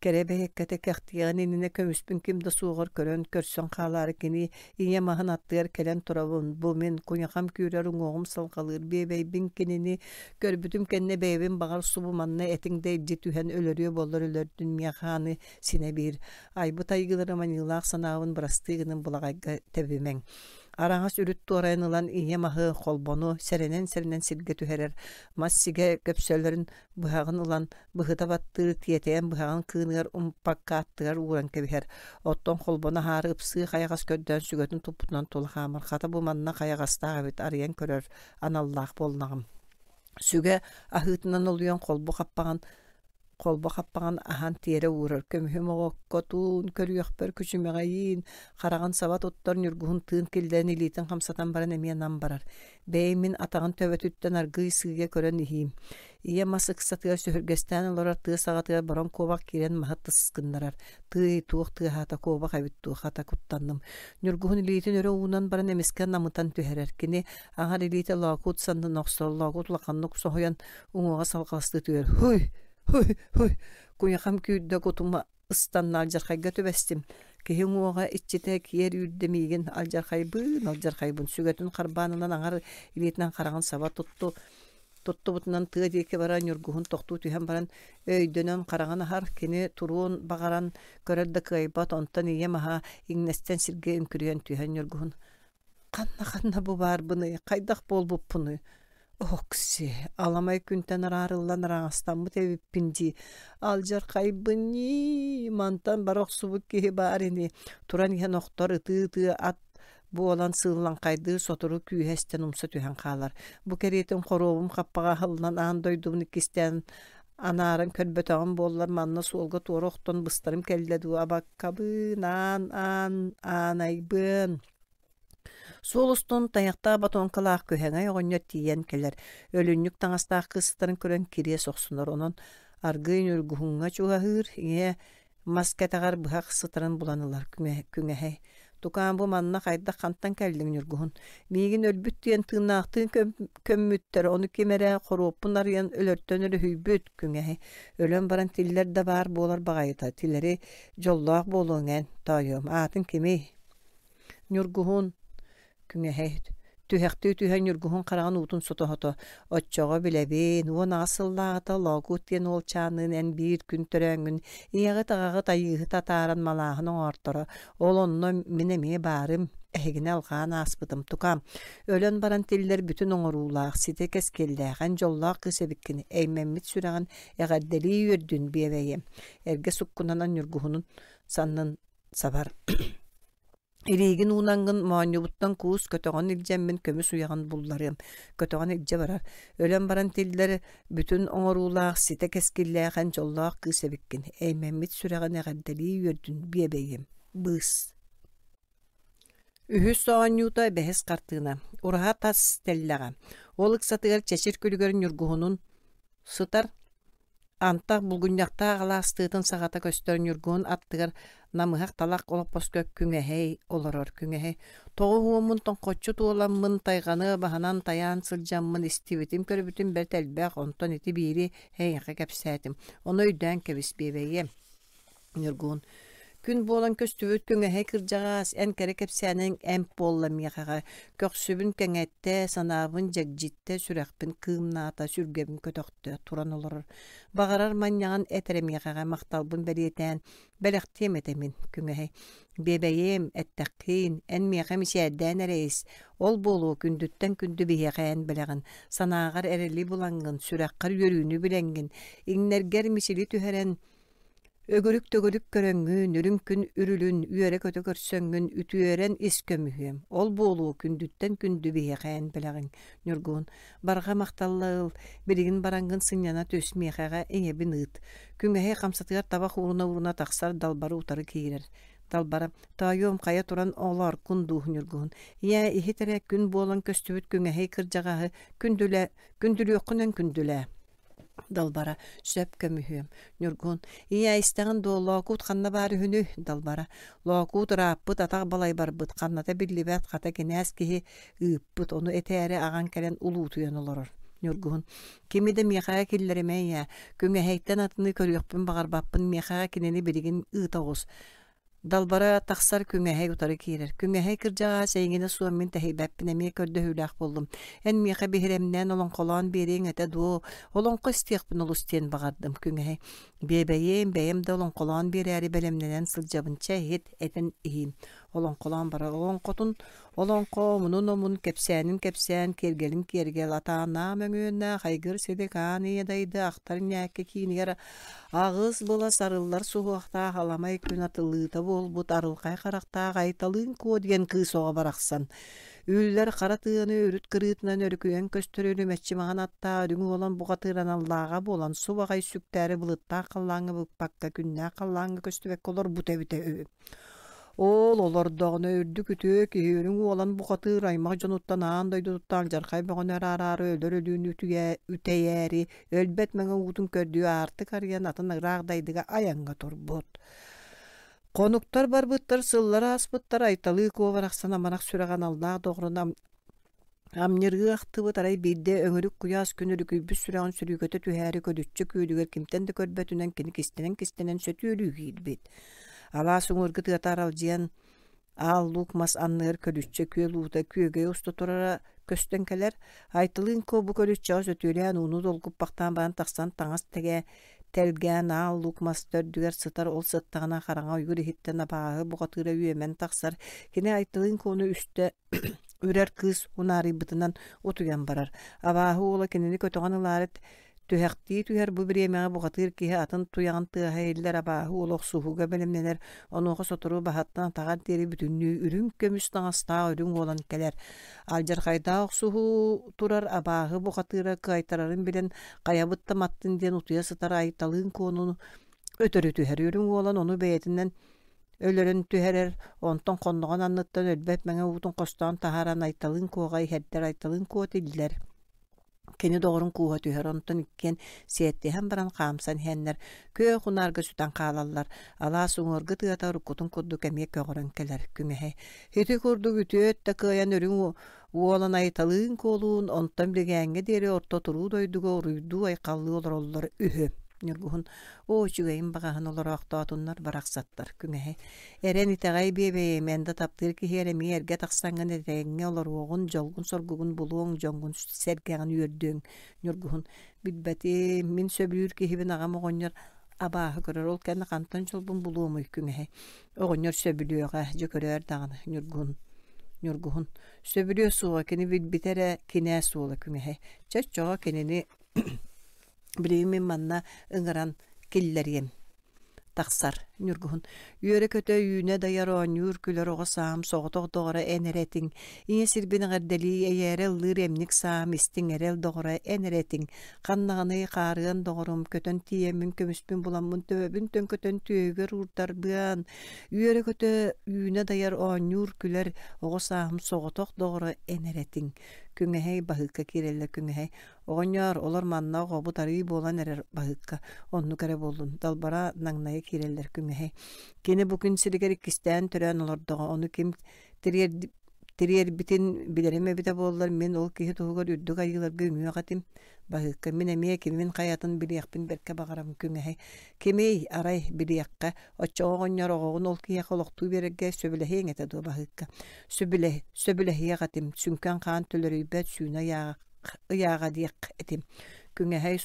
Кэрэ бэйэккэтэ кэхтиэҕин иннинэ көмүспүн ким да суоҕар көрөн, көрсөн хаалаары кини ийэм аһын аттыгар кэлэн турабын. Бу мин куйахам күүрэр уҥуоҕум салҕалыыр биэбэйбин кинини көрбүтүм кэннэ бэйэбин баҕар субу манна этиҥ да илдьи түһэн өлөрүө буоллар өлөрдүн миэхэ аны синэ биир айбыт айгыларым аньыылаах санаабын бырастыы гынан былаҕайга тэбимэҥ. Араҥас үрүт туорайан ылан ийэ маһы, холбону сэрэнэн-сэрэнэн сиргэ түһэрэр, мас сигэ көпсөлөрүн быһаҕын ылан быһыта баттыыр, тиэтэйэн быһаҕын кыыныгар умпакка аттыгар ууран кэбиһэр. Оттон холбону аһаары ыпсыы хайаҕас көрдөөн сүгэтин туппутунан тула хаамар. Хата бу манна хайаҕастаах эбит, арыйан көрөр аналлаах буоллаҕым. Сүгэ аһыытынан олуйан холбу хаппаҕын холбо хаппаҕын аһан тиэрэ уурар, көмүһүм оҕоккотун көрүөхпэр күчүмэҕэйиин, хараҕын саба туттар ньургуһун тыын киллэрэн илиитин хамсатан баран эмиэ нам барар. Бэйэм мин атаҕын төбөтүттэн аргыый сыыйа көрөн иһиим. Ийэ мас ыксатыгар сөһүргэстээн олорор тыа саҕатыгар бороҥ куобах киирэн маһы тыс гыннарар. Тыый, туох тыаһаата, куобах эбит дуу, хата куттанным. Ньургуһун илиитин өрө уунан баран эмискэ намытан түһэрэр. Кини аҥар илиитэ Лоокуут саннын охсор, Лоокуут улаханнык соһуйан уҥуоҕа салҕаластыы түһэр. Һуй! Һуй! Һуй! Куйахам күүрдэ кутума ыстанна алдьархайга түбэстим. Киһи уҥуоҕа иччитэ киэр үүрдэ миигин алдьархайбыын, алдьархайбын сүгэтин харбаан ылан аҥар илиитинэн хараҕын саба тутту туттубутунан тыа диэки бара ньургуһун тохтуу түһэн баран өйдөнөн хараҕын аһар, кини туруон баҕаран көрөр да кыайбат, онтон ийэм аһа иҥнэстэн сиргэ үҥкүрүйэн түһэн ньургуһун Ханна-ханна бу баарбыный, хайдах буолбуппунуй? Окси, аламай күнтэн араарыллан араҥастаммыт эбиппин дии. Алдьархайбын ньии, мантан бара охсубут киһи баар ини. Туран иһэн охтор ытыы-ытыы ат буолан сыыллаҥхайдыы сотору күүһэ эстэн умса түһэн хаалар. Бу кэриэтин хоруобум хаппаҕа аһыллан аан дойдубун иккистээн анааран көрбөтөҕүм буоллар манна суолга туора охтон быстарым кэллэ дуу абаккабыын аан аан аанайбыан Суол устун тайахтаах ботуоҥкалаах күһэҥэй оҕонньор тиийэн кэлэр, өлүнньүк таҥастаах кыыстарын көрөн кириэс охсунар, онон аргыый ньургуһуҥҥа чугаһыыр, ийэ мас кэтэҕэр быһах сытарын булан ылар күҥэһэй. «Тукаам, бу манна хайдах хантан кэллиҥ, Ньургуһун? Миигин өлбүт диэн тыыннаахтыын көммүттэр, ону ким эрэ хоруоппун арыйан өлөртөн өрүһүйбүт, күҥэһэй. Өлөн баран тиллэр да баар буолар баҕайыта, тилэри дьоллоох буолуоҥ эн, тоойуом, аатыҥ кимий?» Ньургуһун күҥэһэй түһэхтии түһэн Ньургуһун хараҕын уутун сото-сото «Оччоҕо билэбин, 18 сыллааҕыта Лоокуут диэн уолчааныын эн биир күн төрөөҥҥүн ийэҕит-аҕаҕыт Айыыһыт атааран малааһын оҥорторо, ол онно мин эмиэ баарым, эһигини алҕаан ааспытым, тукаам, өлөн баран тиллэр бүтүн оҥоруулаах, ситэ кэскиллээх, эн дьоллоох кыыс эбиккин, эймэммит сүрэҕин эҕэрдэлии үөрдүн биэбэйиэм» эргэ суккунанан Ньургуһунун саннын сабар Илиигин уунаҥҥын моонньубуттан куус көтөҕөн илдьэммин көмүс уйаҕын булларыам, көтөҕөн илдьэ барар. Өлөн баран тиллэр бүтүн оҥоруулаах, ситэ кэскиллээх эн дьоллоох кыыс эбиккин. Эймэммит сүрэҕин эҕэрдэлии үөрдүн биэбэйиэм. Быыс. Үһүс оонньуута бэһис хартыына. Ураһа тас тэллэҕэ. Ол ыксатыгар чэчир күлүгэр ньургуһунун сытар Антах булгунньахтаах алаас тыатын саҕата көстөр ньургуһун аттыгар намыһах талах олоппоско күҥэһэй олорор күҥэһэй тоҕо уһуоммун тоҥхоччу туоламмын тайҕаны баһынан тайаан сылдьаммын истибитим көрбүтүм бэрт элбэх онтон ити биири эйиэхэ кэпсээтим ону өйдөөн кэбис биэбэйиэм Ньургун Күн буолан көстүбүт күҥэһэй кырдьаҕаас, эн кэрэ кэпсээниҥ эмп буолла миэхэҕэ, көхсүбүн кэҥэттэ, санаабын дьэгдьиттэ, сүрэхпин кыымнаата, сүргэбин көтөхтө, туран олорор. Баҕарар манньаҕын эт эрэ миэхэҕэ махталбын бэлиэтээн, бэлэхтиэм этэ мин, күҥэһэй. Биэбэйиэм, эттэххиин, эн миэхэ мичээрдээн эрэ ис, ол буолуо күндүттэн күндү биһиэхэ эн бэлэҕин, санааҕар эрэли булаҥҥын, сүрэххэр үөрүүнү билэҥҥин, иҥнэргэр мичили түһэрэн, Өгүрүк-төгүрүк көрөҥҥүн, үрүҥ күн үрүлүн үөрэ-көтө көрсөҥҥүн үтүөрэн ис көмүһүөм, ол буолуо күндүттэн күндү биһиэхэ эн бэлэҕиҥ, Ньургун, барҕа махталла ыл, билигин бараҥҥын сынньана түс, миэхэҕэ ийэбин ыыт. Күҥэһи хамсатыгар табах ууруна-ууруна тахсар далбары утары киирэр. Далбара, тоойуом хайа туран олооркун дуу, Ньургуһун. Ийээ, иһит эрэ күн буолан көстүбүт күҥэһи кырдьаҕаһы күндүлэ, күндүлүөххүнэн күндүлээ. Далбара, сөп көмүһүөм. Ньургун, ийээ истэҕин дуо, Лоокуут ханна баар үһүнүй? Далбара, Лоокуут ырааппыт, атах балай барбыт, ханната биллибэт, хата кинээс киһи ыыппыт, ону этээри аҕаҥ кэлэн улуутуйан олорор. Ньургуһун, кими да миэхэҕэ киллэримэ ийээ, күҥэһэйтэн атыны көрүөхпүн баҕарбаппын, миэхэҕэ кинини билигин ыыта оҕус. Далбара тахсар күҥэһэй утары киирэр. Күҥэһэй кырдьаҕаас эйигинэ суох мин тэһийбэппин эмиэ көрдөһүүлээх буоллум. Эн миэхэ биһирэмнээн олоҥхолоон биэриэҥ этэ дуо? Олоҥхо истиэхпин олус диэн баҕардым, күҥэһэй. Биэбэйиэм, бэйэм да олоҥхолоон биэрээри бэлэмнэнэн сылдьабын. Чэ, иһит, этэн иһиим. Олоҥхолоон барар. Олоҥхотун олоҥхо, омунун омун, кэпсээнин кэпсээн, киэргэлин киэргэл, атааннаах мөҥүөннээх айгыр силик аан ийэ дайды ахтар ньээккэ киинигэр аҕыс былас арыллар суһуохтаах аламай күн атыллыыта буолбут арылхай харахтаах Айталыын Куо диэн кыыс оҕо барахсан үллэр хара тыаны үрүт кырыытынан өрүкүйэн көстөр үрүмэччи маҥан аттаах үрүҥ уолан бухатыыр аналлааҕа буолан субаҕай сүктээри былыттаах халлааҥҥа быкпакка күннээх халлааҥҥа көстүбэккэ олорбута эбитэ үһү. Ол олордоҕуна үрдүк үтүө киһи үрүҥ уолан бухатыыр аймах дьонуттан аан дойдутуттан алдьархай бөҕөнү араараары өлөр өлүүнү үтэйээри өлбөт мэҥэ уутун көрдүү аартык арыйан атын ыраах дайдыга айаҥҥа турбут. Хонуктар барбыттар, сыллар ааспыттар, Айталыы Куо барахсан амарах сүрэҕэ аналлаах доҕорун амньырыы ахтыбыт, арай биирдэ өҥүрүк куйаас күн өрүкүйбүт сүрэҕин сүрүүкэтэ түһээри көдүччү күөлүгэр кимтэн да көрбөтүнэн кини кистэнэн-кистэнэн сөтүөлүү киирбит. Алаас уҥуоргу тыата аралдьыйан Аал луук мас анныгар көлүччэ күөл уута күөгэй уста турара көстөн кэлэр. Айтылыын Куо бу көлүччэҕэ сөтүөлээн ууну долгуппахтаан баран тахсан таҥас тэгэ тэлгээн аал луук мас төрдүгэр сытар ол сыттаҕына хараҥа ойуур иһиттэн абааһы бухатыыра үөмэн тахсар. Кини Айтылыын Куону үстэ үрэр кыыс унаарыйбытынан утуйан барар. Абааһы уола кинини көтөҕөн ылаары түһэхтии түһэр бу бириэмэҕэ бухатыыр киһи атын туйаҕын тыаһа иһиллэр абааһы уола охсуһууга бэлэмнэнэр онуоха сотору баһыттан атаҕар диэри бүтүннүү үрүҥ көмүс таҥастаах үрүҥ уолан кэлэр алдьархайдаах охсуһуу турар абааһы бухатыыра кыайтарарын билэн хайабыт да маттын диэн утуйа сытар Айталыын Куонуну өтөрү түһэр үрүҥ уолан ону бэйэтинэн өлөрөн түһэрэр, онтон хонноҕун анныттан өлбөт мэҥэ уутун хостоон таһааран Айталыын Куоҕа иһэрдэр, Айталыын Куо тиллэр. Кини доҕорун кууһа түһэр, онтон иккиэн сиэттиһэн баран хаамсан иһэннэр күөх унаарга сүтэн хаалаллар. Алаас уҥуоргу тыата уруккутун курдук эмиэ көҕөрөн кэлэр күҥэһэ. Ити курдук үтүө өттө кыайан үрүҥ уолан Айталыын Куолуун онтон билгээҥҥэ диэри орто туруу дойдуга уруйдуу-айхаллыы олороллор үһү. Ньургуһун Оо, үчүгэйин баҕаһын олороохтоотуннар барахсаттар күҥэһи. Эрэн итэҕэй биэбэйим, эн да таптыыр киһи эрэ эмиэ эргэ тахсаҥҥын этэҥҥэ олоруоҕун, дьолгун-соргугун булуоҥ, дьоҥҥун сэргэҕин үөрдүөҥ. Ньургуһун Билбэтим, мин сөбүлүүр киһибин аҕам оҕонньор абааһы көрөр, ол кэннэ хантан дьолбун булуомуй күҥэһи. Оҕонньор сөбүлүөҕэ, дьэ көрөөр даҕаны, Ньургуһун. Ньургуһун Сөбүлүө суоҕа, кини билбитэ эрэ кинээс уола күҥэһи. Чэ, оччоҕо кинини Билигин мин манна ыҥыран киллэриэм тахсар Ньургуһун үөрэ-көтө үүнэ дайар оонньуур күлэр оҕо саам соҕотох доҕоро эн эрэ этиҥ ийэ сирбин эҕэрдэлии эйээрэ ыллыыр эмник саам истиҥ эрэл доҕоро эн эрэ этиҥ ханнаҕыный хаарыан доҕорум көтөн тиийэммин көмүспүн буламмын төбөбүн төҥкөтөн түөһүгэр уурдарбыан үөрэ-көтө үүнэ дайар оонньуур күлэр оҕо сааһым соҕотох доҕоро эн эрэ этиҥ күҥэһэй баһыыкка киирэллэр күҥэһэй Оҕонньоор, олор манна оҕобут арыый буолан эрэр баһыыкка, оннук эрэ буоллун, далбара наҥнайа киирэллэр күҥэһэй. Кини бу күн сиригэр иккистээн төрөөн олордоҕо, ону ким тириэрбитин билэрим эбитэ буоллар, мин ол киһи туһугар үрдүк айыыларга үҥүөх этим. Баһыыкка мин эмиэ кимин хайатын билиэхпин бэркэ баҕарабын күҥэһэй. Кимий, арай, билиэххэ, оччоҕо оҕонньор оҕоҕун ол киһиэхэ олохтуу биэрэргэ сөбүлэһиэҥ этэ дуо баһыыкка? Сөбүлэһ сөбүлэһиэх этим, сүҥкэн хаан төлөрүйбэт сүүнэ ыйааҕа ыйааҕа диэх этим. Күҥэһэй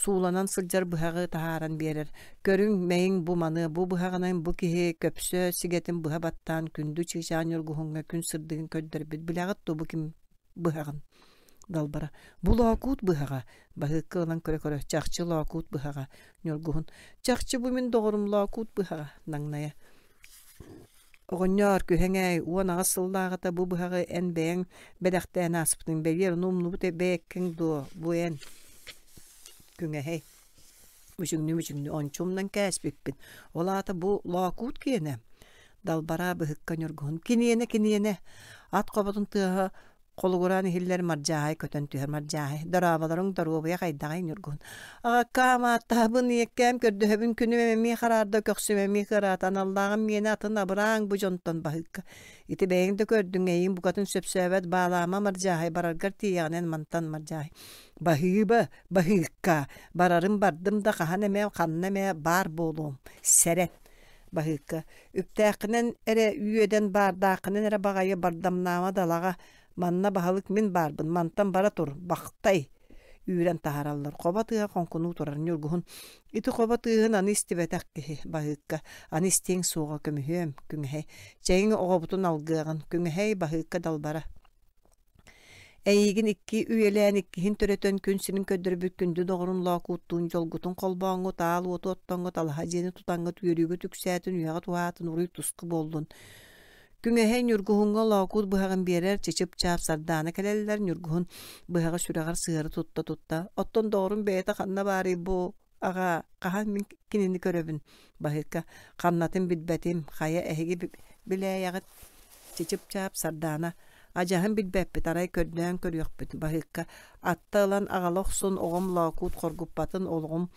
сууланан сылдьар быһаҕы таһааран биэрэр. Көрүҥ, мэйиҥ бу маны, бу быһаҕынан бу киһи көпсө сигэтин быһа баттаан күндү чыычаах ньургуһуҥҥа күн сырдыгын көрдөрбүт. Билэҕит дуо бу ким быһаҕын? Далбара. Бу лоокуут быһаҕа. Баһыыкка ылан көрө-көрө, чахчы лоокуут быһаҕа. Ньургуһун. Чахчы бу мин доҕорум лоокуут быһаҕа. Наҥнайа. Оҕонньоор, күһэҥээй, 18 сыллааҕыта бу быһаҕы эн бэйэҥ бэлэхтээн ааспытыҥ, бэлиэр ону умнубут бэйэккэҥ дуо, бу эн Күҥэһэй мүчүҥнүү-мүчүҥнүү ончу умнан кээспиппин, ол аата бу Лоокуут киэнэ Далбараа быһыкка Ньургуһун киниэнэ киниэнэ ат хоботун тыаһа Холугураан иһиллэр Мардьааһай көтөн түһэр Мардьааһай дорооболоруҥ доруобуйа хайдаҕый Ньургун аҕаккаам ааттаһабын ийэккээм көрдөһөбүн күнүм эмиэ хараарда көхсүм эмиэ кыараата аналлааҕым миэнэ атын абырааҥ бу дьонтон баһыыкка ити бэйэҥ да көрдүҥ эйиҥ букатын сөпсөөбөт баалаама Мардьааһай бараргар тиийэҕинэн мантан Мардьааһай баһыыба баһыыкка барарым бардым да хаһан эмэ ханна эмэ баар буолуом сэрэн Баһыыкка үптээххинэн эрэ үөдэн баардааххынан эрэ баҕайы бардамнаама далаҕа манна баһылык мин баарбын мантан бара тур бахтай. Үүрэн таһаараллар. Хобо тыаһа хоҥкунуу турар Ньургуһун. Ити хобо тыаһын аны истибэтэх киһи, Баһыыкка. Аны истиэҥ суоҕа көмүһүөм, Күҥэһэй. Чэйиҥ оҕобутун алгыаҕын, Күҥэһэй, Баһыыкка далбара. Эйигин икки үйэлээн иккиһин төрөтөн күн сирин көрдөрбүт күндү доҕорун Лоокууттуун дьолгутун холбооҥҥут, аал уоту оттоҥҥут, алаһа дьиэни тутаҥҥыт үөрүүгүт үксээтин, үйэҕит уһаатын, уруй-туску буоллун. Күҥэһэй Ньургуһуҥҥа Лоокуут быһаҕын биэрэр, чычып-чаап Сардаана кэлэллэр, Ньургуһун быһаҕы сүрэҕэр сыһыары тутта-тутта, «Оттон доҕорум бэйэтэ ханна баарый бу, аҕаа, хаһан мин кинини көрөбүн?» Баһыыкка «Ханнатын билбэтим, хайа эһиги билээйэҕит?» Чычып-чаап Сардаана «Адьаһын билбэппит, арай көрдөөн көрүөхпүт» Баһыыкка «Атта ылан аҕала охсун, оҕом Лоокуут хоргуппатын, олоҕум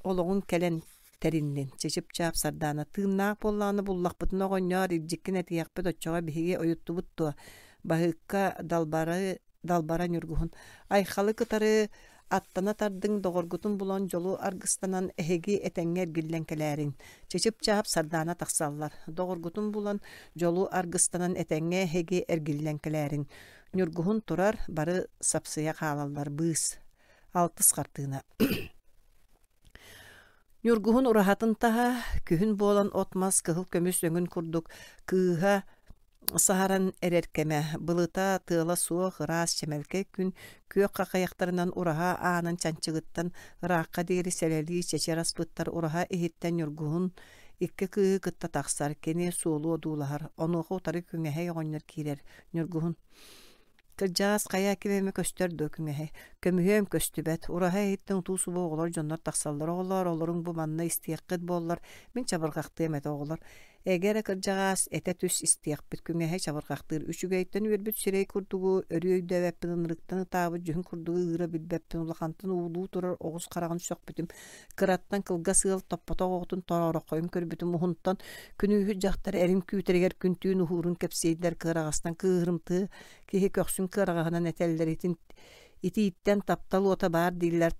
олоҕун кэлэн тэриннин. Чычып-чаап Сардаана тыыннаах буоллаҕына буллахпытына оҕонньоор илдьиккин этиэхпит оччоҕо биһиги ойуттубут дуо? Баһыыкка далбары далбара Ньургуһун Айхалы кытары аттана тардыҥ доҕоргутун булан дьолу аргыстанан эһиги этэҥҥэ эргиллэн кэлээриҥ. Чычып-чаап Сардаана тахсаллар. Доҕоргутун булан дьолу аргыстанан этэҥҥэ эһиги эргиллэн кэлээриҥ. Ньургуһун турар, бары сапсыйа хаалаллар быыс. Алтыс хартыына. Ньургуһун ураһатын таһа, күһүн буолан от-мас кыһыл көмүс өҥүн курдук кыыһа саһаран эрэр кэмэ, былыта, тыала суох ыраас чэмэлкэй күн күөх хахайахтарынан ураһа аанын чанчыгыттан ыраахха диэри сэлэлии чэчир аспыттар ураһа иһиттэн Ньургуһун икки кыыһы кытта тахсар, кини суолу одуулаһар, онуоха утары күҥэһэй оҕонньор киирэр. Ньургуһун Кырдьаҕас хайа ким эмэ көстөр дуо күҥэһи? Көмүһүөм көстүбэт, ураһа иһиттэн утуу-субуу оҕолор дьоннор тахсаллар оҕолоор, олоруҥ бу манна истиэххит буоллар, мин чабырҕахтыам этэ оҕолор. Эгэ эрэ кырдьаҕаас, этэ түс истиэхпит, күҥэһи чабырҕахтыыр үчүгэйтэн үөрбүт сирэй курдугу, өрүү өйдөөбөппүн, ынырыктан ытаабыт дьүһүн курдугу ыыра билбэппин, улахантан уулуу турар оҕус хараҕын сөхпүтүм, кыраттан кылгас ыал топпотох оҕотун тороороххойун көрбүтүм уһунтан күнүүһүт дьахтар эрин күүтэригэр күн-түүн уһуурун кэпсиэйдэр кыараҕастан кыыһырымтыы киһи көхсүн кыараҕаһынан этэллэр итин итииттэн таптал уота баар дииллэр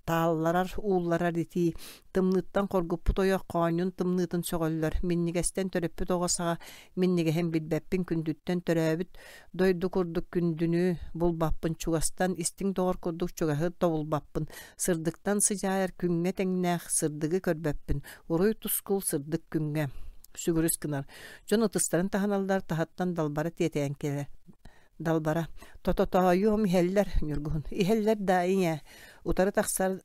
таалларар уулларар итии тымныыттан хоргуппут ойох хоонньун тымныытын сөҕөллөр минньигэстэн төрөппүт оҕо саҕа минньигэһин билбэппин күндүттэн төрөөбүт дойду курдук күндүнү булбаппын чугастан истиҥ доҕор курдук чугаһы тобулбаппын сырдыктан сыдьаайар күҥҥэ тэҥнээх сырдыгы көрбөппүн уруй тускул сырдык күҥҥэ сүгүрүс гынар дьон ытыстарын таһыналлар таһыттан далбара тиэтэйэн кэлэр далбара тототоойуом иһэллэр ньургуһун иһэллэр да ийэ утары тахсар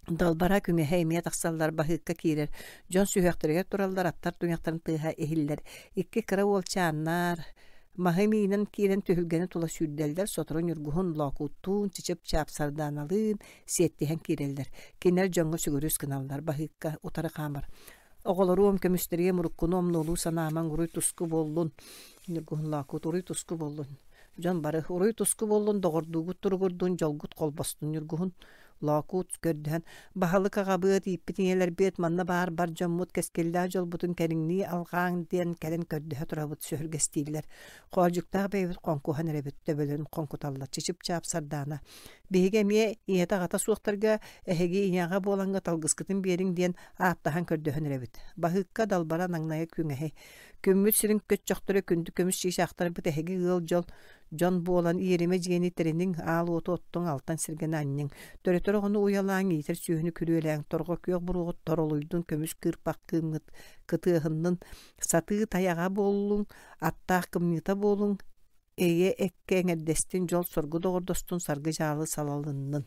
Далбара күҥэһэ эмиэ тахсаллар, баһыыкка киирэр. Дьон сүһүөхтэригэр тураллар, аттар туйахтарын тыаһа иһиллэр. Икки кыра уолчааннар маһы миинэн киирэн түһүлгэни тула сүүрдэллэр, сотору Ньургуһун Лоокууттуун, Чычып-Чаап Сардааналыын сиэттиһэн киирэллэр. Кинилэр дьоҥҥо сүгүрүс гыналлар, баһыыкка утары хаамар. Оҕолоруом, көмүстэриэм уруккуну омнуолуу санаамаҥ, уруй-туску буоллун. Ньургуһун Лоокуут уруй-туску буоллун. Дьон бары уруй-туску буоллун, доҕордуугут туругурдун, дьолгут холбостун Ньургуһун Лоокуут көрдөһөн, баһылык аҕабыат, ииппит ийэлэрбиэт, манна баар бар дьоммут кэскиллээх дьолбутун кэриҥнии алҕааҥ диэн кэлэн көрдөһө турабыт сөһүргэстииллэр. Хоолдьуктаах бэйэбит хоҥкуһан эрэбит, төбөлөрүн хоҥкуталлар. Чычып-чаап Сардаана. Биһиги эмиэ ийэтэ-аҕата суохтарга эһиги ийэҕэ буолаҥҥыт алгыскытын биэриҥ диэн ааттаһан көрдөһөн эрэбит. Баһыыкка далбара наҥнайа күҥэһи. Күммүт сирин көччөхтөрө күндү көмүс чыычаахтарбыт эһиги ыал дьол Дьон буолан иэримэ дьиэни тэриниҥ, аал уоту оттуҥ, алтан сиргэни анньыҥ. Төрөтөр оҕону уйалааҥ, иитэр сүөһүнү күрүөлээҥ, торҕо күөх буруоҕут торолуйдун, көмүс кыырпах кыымҥыт кытыаһыннын, сатыы тайаҕа буоллуҥ, аттаах кымньыыта буолуҥ, эйэ эккэ эҥэрдэстин, дьол-соргу доҕордостун, саргы-дьаалы салалыннын.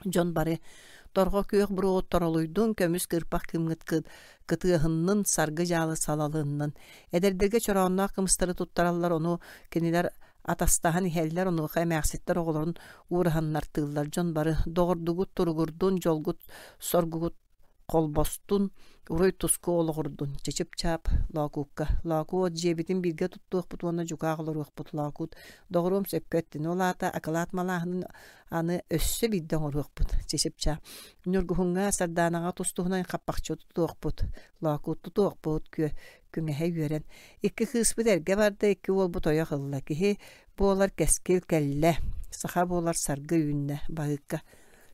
Дьон бары торҕо күөх буруоҕут торолуйдун, көмүс кыырпах кыымҥыт кытыаһыннын, саргы-дьаалы салалыннын. Эдэрдэргэ чороонноох кымыстары туттараллар, ону кинилэр атастаһан иһэллэр, онуоха эмээхситтэр оҕолорун уураһаннартыыллар. Дьон бары доҕордугут туругурдун, дьолгут соргугут холбостун, уруй-туску олоҕурдун, чычып-чаап Лоокуукка. Лоокуут дьиэбитин бииргэ туттуохпут уонна дьукаах олоруохпут Лоокуут. Доҕоруом сөпкө эттин, ол аата акылаат малааһынын аны өссө биирдэ оҥоруохпут чычып-чаап. Ньургуһуҥҥа, Сардаанаҕа тус-туһунан хаппахчы тутуохпут, Лоокуут тутуохпут, күө күҥэһэ үөрэн. Икки кыыспыт эргэ барда, икки уолбут ойох ылла. Киһи буолар кэскил кэллэ, саха буолар саргы үүннэ, Баһыыкка.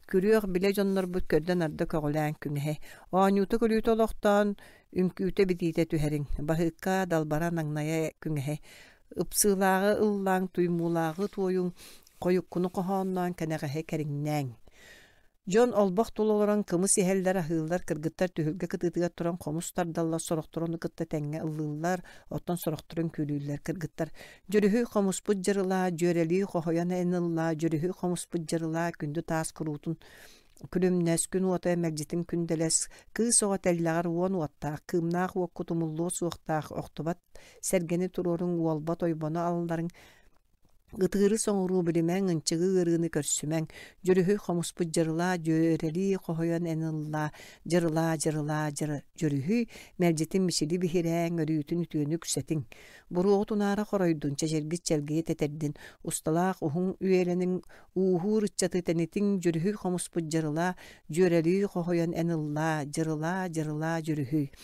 Күрүөх билэ дьоннорбут көрдө-нарда көҕүлээн күҥэһи, оонньуута-күлүүтэ олохтоон, үҥкүүтэ-битиитэ түһэриҥ, баһыыкка, далбара наҥнайа күҥэһи, ыпсыылааҕы ыллааҥ, туймуулааҕы туойуҥ, Хойуккуну хоһоонноон кэнэҕэһи кэриҥнээҥ. Дьон олбох тула олорон кымыс иһэллэр, аһыыллар, кыргыттар түһүлгэ кытыытыгар туран хомус тардаллар, сорохтор ону кытта тэҥҥэ ыллыыллар, оттон сорохтор үҥкүүлүүллэр. Кыргыттар «Дьүрүһүй хомуспут дьырылаа, дьүөрэлии хоһуйан эн ыллаа, дьүрүһүй хомуспут дьырылаа, күндү таас куруутун күлүмнэс, күн уота мэлдьитин күндэлэс, кыыс оҕо тэллэҕэр уон уоттаах, кыымнаах уоккут умуллуо суохтаах, охтубат сэргэни туруоруҥ, уолбат ойбону алларыҥ, Ытыыры соҥуруу билимэҥ, ынчыгы ыарыыны көрсүмэҥ, Дьүрүһүй хомуспут дьырылаа, дьүөрэлии хоһуйан эн ыллаа, дьырылаа, дьырылаа, дьүрүһүй, мэлдьитин мичили биһирээҥ, өрүүтүн үтүөнү үксэтиҥ. Буруоҕут унаара хоройдун, чэчиргит чэлгийэ тэтэрдин, усталаах уһун үйэлэниҥ, ууһуур ыччаты тэнитиҥ, дьүрүһүй хомуспут дьырылаа, дьүөрэлии хоһуйан эн ыллаа, дьырылаа, дьырылаа, дьүрүһүй.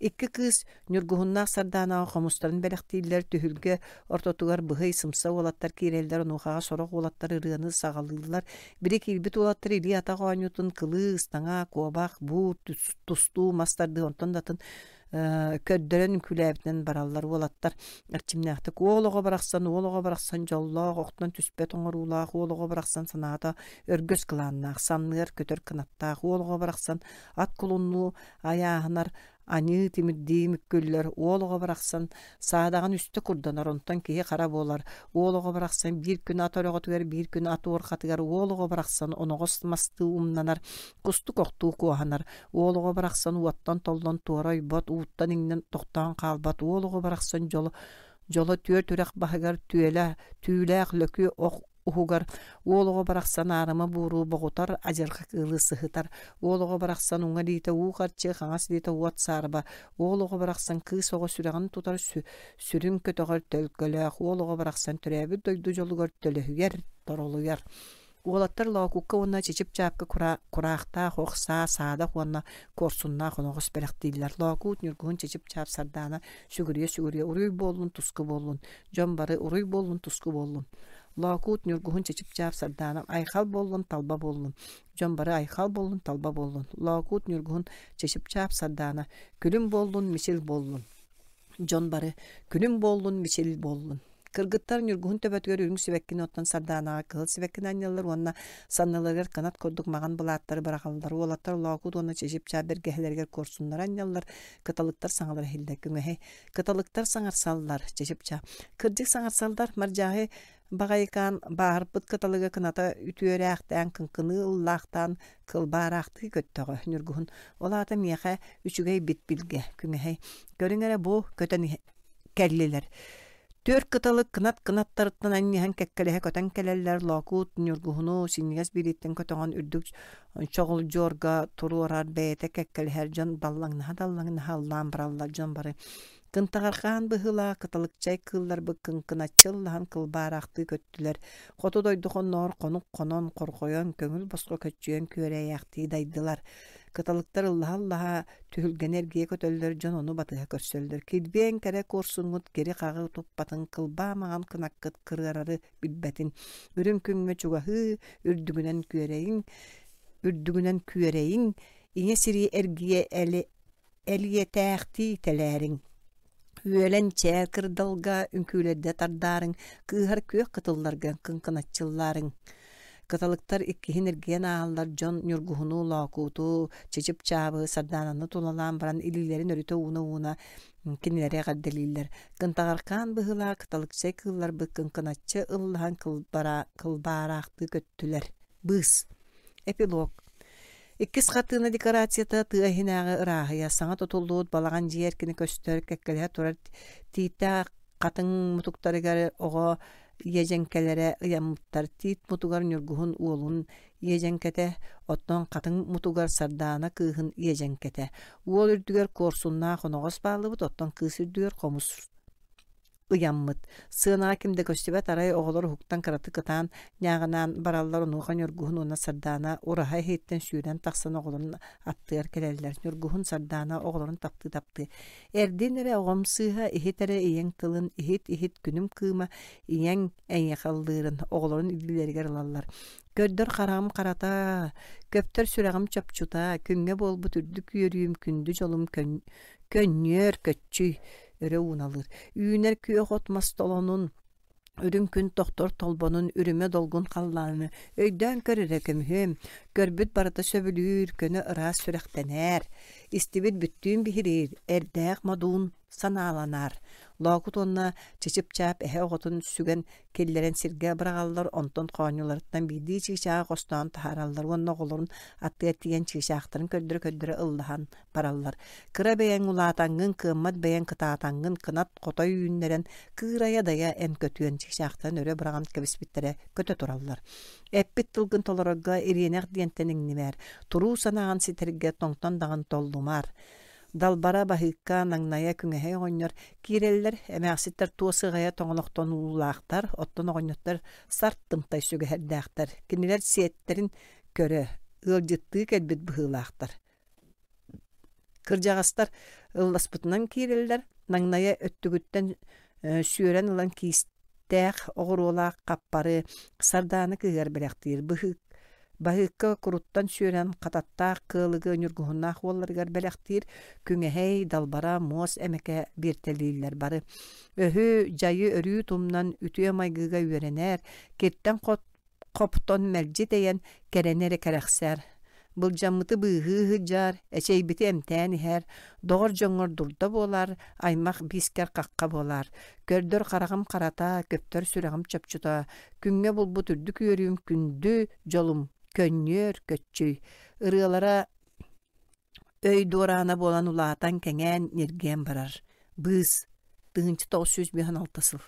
Икки кыыс Ньургуһуннаах Сардаанаҕа хомустарын бэлэхтииллэр, түһүлгэ ортотугар быһый, сымса уолаттар киирэллэр, онуохаҕа сорох уолаттар ырыаны саҕалыыллар. Били киирбит уолаттар илии-атах оонньуутун кылыы, ыстаҥа, куобах, буур, тустуу, мас тардыы онтон да атын көрдөрөн үҥкүүлээбитинэн бараллар уолаттар эрчимнээхтик уол оҕо барахсан уол оҕо барахсан дьоллоох охтон түспэт оҥоруулаах уол оҕо барахсан санаата өргөс кылааннаах санныар көтөр кынаттаах уол оҕо барахсан ат кулуннуу айааһынар аньыы тимирдии мүккүллэр уол оҕо барахсан саадаҕын үстэ курданар онтон киһи хара буолар уол оҕо барахсан биир күн ат өрөҕөтүгэр биир күн ат уорҕатыгар уол оҕо барахсан оноҕос мастыы умнанар кустук охтуу куоһанар уол оҕо барахсан уоттан толлон туора ойбот ууттан иҥнэн тохтоон хаалбат уол оҕо барахсан дьоло дьоло түөрт үрэх баһыгар түөлэ түүлээх лөкү ох уһугар уол оҕо барахсан аарыма бууру боҕутар, адьырҕа кыылы сыһытар. Уол оҕо барахсан уҥа илиитэ уу харчы, хаҥас илиитэ уот саарба. Уол оҕо барахсан кыыс оҕо сүрэҕин тутар сүрүн көтөҕөр төлкөлөөх. Уол оҕо барахсан төрөөбүт дойду дьолугар төлөһүйэр, торолуйар. Уолаттар Лоокукка уонна Чичип-Чаапка кураахтаах ох саа, саадах уонна куорсуннаах оноҕос бэлэхтииллэр. Лоокуут Ньургуһун Чичип-Чаап Сардаана сүгүрүйэ-сүгүрүйэ уруй буоллун, туску буоллун, дьон бары уруй буоллун, туску буоллун. Лоокуут Ньургуһун Чичип-Чаап Сардаана айхал буоллун, талба буоллун, дьон бары айхал буоллун, талба буоллун. Лоокуут Ньургуһун Чичип-Чаап Сардаана күлүм буоллун, мичил буоллун. Дьон бары күнүм буоллун, мичил буоллун. Кыргыттар Ньургуһун төбөтүгэр үрүҥ сибэккини оттон Сардаанаҕа кыһыл сибэккини анньаллар уонна санныларыгар кынат курдук маҕан былааттары быраҕаллар. Уолаттар Лоокуут уонна Чичип-Чаап бэргэһэлэригэр куорсуннары анньаллар, кыталыктар саҥалара иһиллэр. Күҥэһи Кыталыктар саҥарсаллар, Чичип-Чаап. Кырдьык саҥарсаллар, Мардьааһы баҕайыкаан бааһырбыт кыталыга кыната үтүөрээхтээн, кыҥкыныы ыллаахтаан, кылбаараахтыы көттөҕө Ньургуһун. Ол аата миэхэ үчүгэй бит билгэ, күҥэһэй. Көрүҥ эрэ бу көтөн кэллилэр. Түөрт кыталык кынат кынаттарыттан анньыһан кэккэлэһэ көтөн кэлэллэр, Лоокуут Ньургуһуну синньигэс биилиттэн көтөҕөн үрдүк чоҕулдьуорга туруорар бэйэтэ кэккэлэһэр дьон даллаҥнаһа-даллаҥнаһа ыллаан бараллар дьон бары кынтаҕархаан быһыылаах кыталыкчай кыылларбыт кыҥкыначчы ыллаһан кылбаараахтыы көттүлэр хоту дойду хоннооҕор хонук хонон хорҕойон көҥүл босхо көччүйэн күөрэйээхтии дайдылар кыталыктар ыллаһа-ыллаһа түһүлгэни эргийэ көтөллөр дьон ону батыһа көрсөллөр килбиэн кэрэ куорсуҥҥут кири-хаҕы туппатын кылбаа маҥан кынаккыт кырыарары билбэтин үрүҥ күҥҥэ чугаһыы үрдүгүнэн күөрэйиҥ үрдүгүнэн күөрэйиҥ ийэ сири эргийэ элиэтээхтии тэлээриҥ үөлэн чээл кырдалга үҥкүүлэрдэ тардаарыҥ кыыһар күөх кытылларга кыҥкыначчыллаарыҥ кыталыктар иккиһин эргийэн ааһаллар дьон ньургуһуну лоокууту чычып-чаабы сардаананы тулалаан баран илиилэрин өрүтэ ууна-ууна Кинилэри эҕэрдэлииллэр. Кынтаҕаркаан быһыылаах кыталыкчай кыылларбыт кыҥкыначчы ыллаһан кылбаараахтыы көттүлэр. Быыс. Эпилог. Иккис хартыына декорацията тыа иһинээҕи ырааһыйа, саҥа тутуллубут балаҕан дьиэ эркинэ көстөр, кэккэлэһэ турар тииттээх хатыҥ мутуктарыгар оҕо иэдьэҥкэлэрэ ыйаммыттар. Тиит мутугар Ньургуһун уолун иэдьэҥкэтэ, оттон хатыҥ мутугар Сардаана кыыһын иэдьэҥкэтэ. Уол үрдүгэр куорсуннаах оноҕос бааллыбыт, оттон кыыс үрдүгэр хомус ыйаммыт. Сыанаҕа ким да көстүбэт, арай оҕолор уһуктан кыратык ытаан, ньааҕынаан бараллар, онуоха Ньургуһун уонна Сардаана ураһа иһиттэн сүүрэн тахсан оҕолорун аттыгар кэлэллэр. Ньургуһун Сардаана оҕолорун таптыы-таптыы «Эрдин эрэ оҕом сыыһа, иһит эрэ ийэҥ тылын, иһит-иһит күнүм кыыма, ийэҥ эйиэхэ ыллыырын» оҕолорун илиилэригэр ылаллар. Көрдөр хараҕым харата, көптөр сүрэҕим чопчута, күҥҥэ буолбут үрдүк үөрүүм, күндү дьолум көнньүөр көччүй өрө ууналыыр. Үүнэр күөх от мас толонун. Үрүҥ күн тохтор толбонун үрүмэ долгун халлааны өйдөөн көр эрэ көмүһүөм, көрбүт барыта сөбүлүүр, көнө ыраас сүрэхтэнээр, истибит бүттүүн биһириир, эрдээх модуун санааланаар. Лоокут уонна Чычып-чаап эһэ оҕотун сүгэн киллэрэн сиргэ быраҕаллар, онтон хоонньуларыттан биирдии чыычааҕы хостоон таһаараллар уонна оҕолорун аттыгар тиийэн чыычаахтарын көрдөрө-көрдөрө ыллаһан бараллар. Кыра бэйэҥ улаатаҥҥын, кыаммат бэйэҥ кытаатаҥҥын, кынат хотой үүннэрэн, кыырайа-дайа эн көтүөн чыычаахтарын өрө быраҕан кэбиспиттэрэ көтө тураллар. Эппит тылгын толорорго ириэнэх диэнтэн иҥнимээр, туруу санааҕын ситэргэ тоҥтон даҕан толлумаар. Далбара, Баһыыкка, Наҥнайа, Күҥэһэй оҕонньор киирэллэр, эмээхситтэр туос ыҕайа тоҥолохтонуулаахтар, оттон оҕонньоттор сарт тымтай сүгэһэрдээхтэр. Кинилэр сиэттэрин көрө, ыалдьыттыы кэлбит быһыылаахтар. Кырдьаҕастар ылласпытынан киирэллэр, наҥнайа өттүгүттэн сүөрэн ылан киистээх оҕуруолаах хаппары Сардаана кыыһыгар бэлэхтиир быһыы Баһыыкка куруттан сүөрэн хататтаах кыалыгы ньургуһуннаах уолларыгар бэлэхтиир Күҥэһэй, Далбара, Муос эмэкэ биэртэлииллэр бары. Өһү, дьайы өрүү тумнан үтүө майгыга үөрэнээр, киртэн хот хоптон мэлдьи тэйэн, кэрэни эрэ кэрэхсээр. Былдьаммыты быыһыы сылдьаар, эчэйбити эмтээн иһээр, доҕор дьоҥҥор дурда буолаар, аймах биискэр хахха буолаар. Көрдөр хараҕым харата, көптөр сүрэҕим чопчута, күҥҥэ булбут үрдүк үөрүүм күндү дьолум, көнньүөр көччүй. Ырыалара өй дуораана буолан улаатан, кэҥээн, ньиргийэн барар. Быыс, 1956 сыл.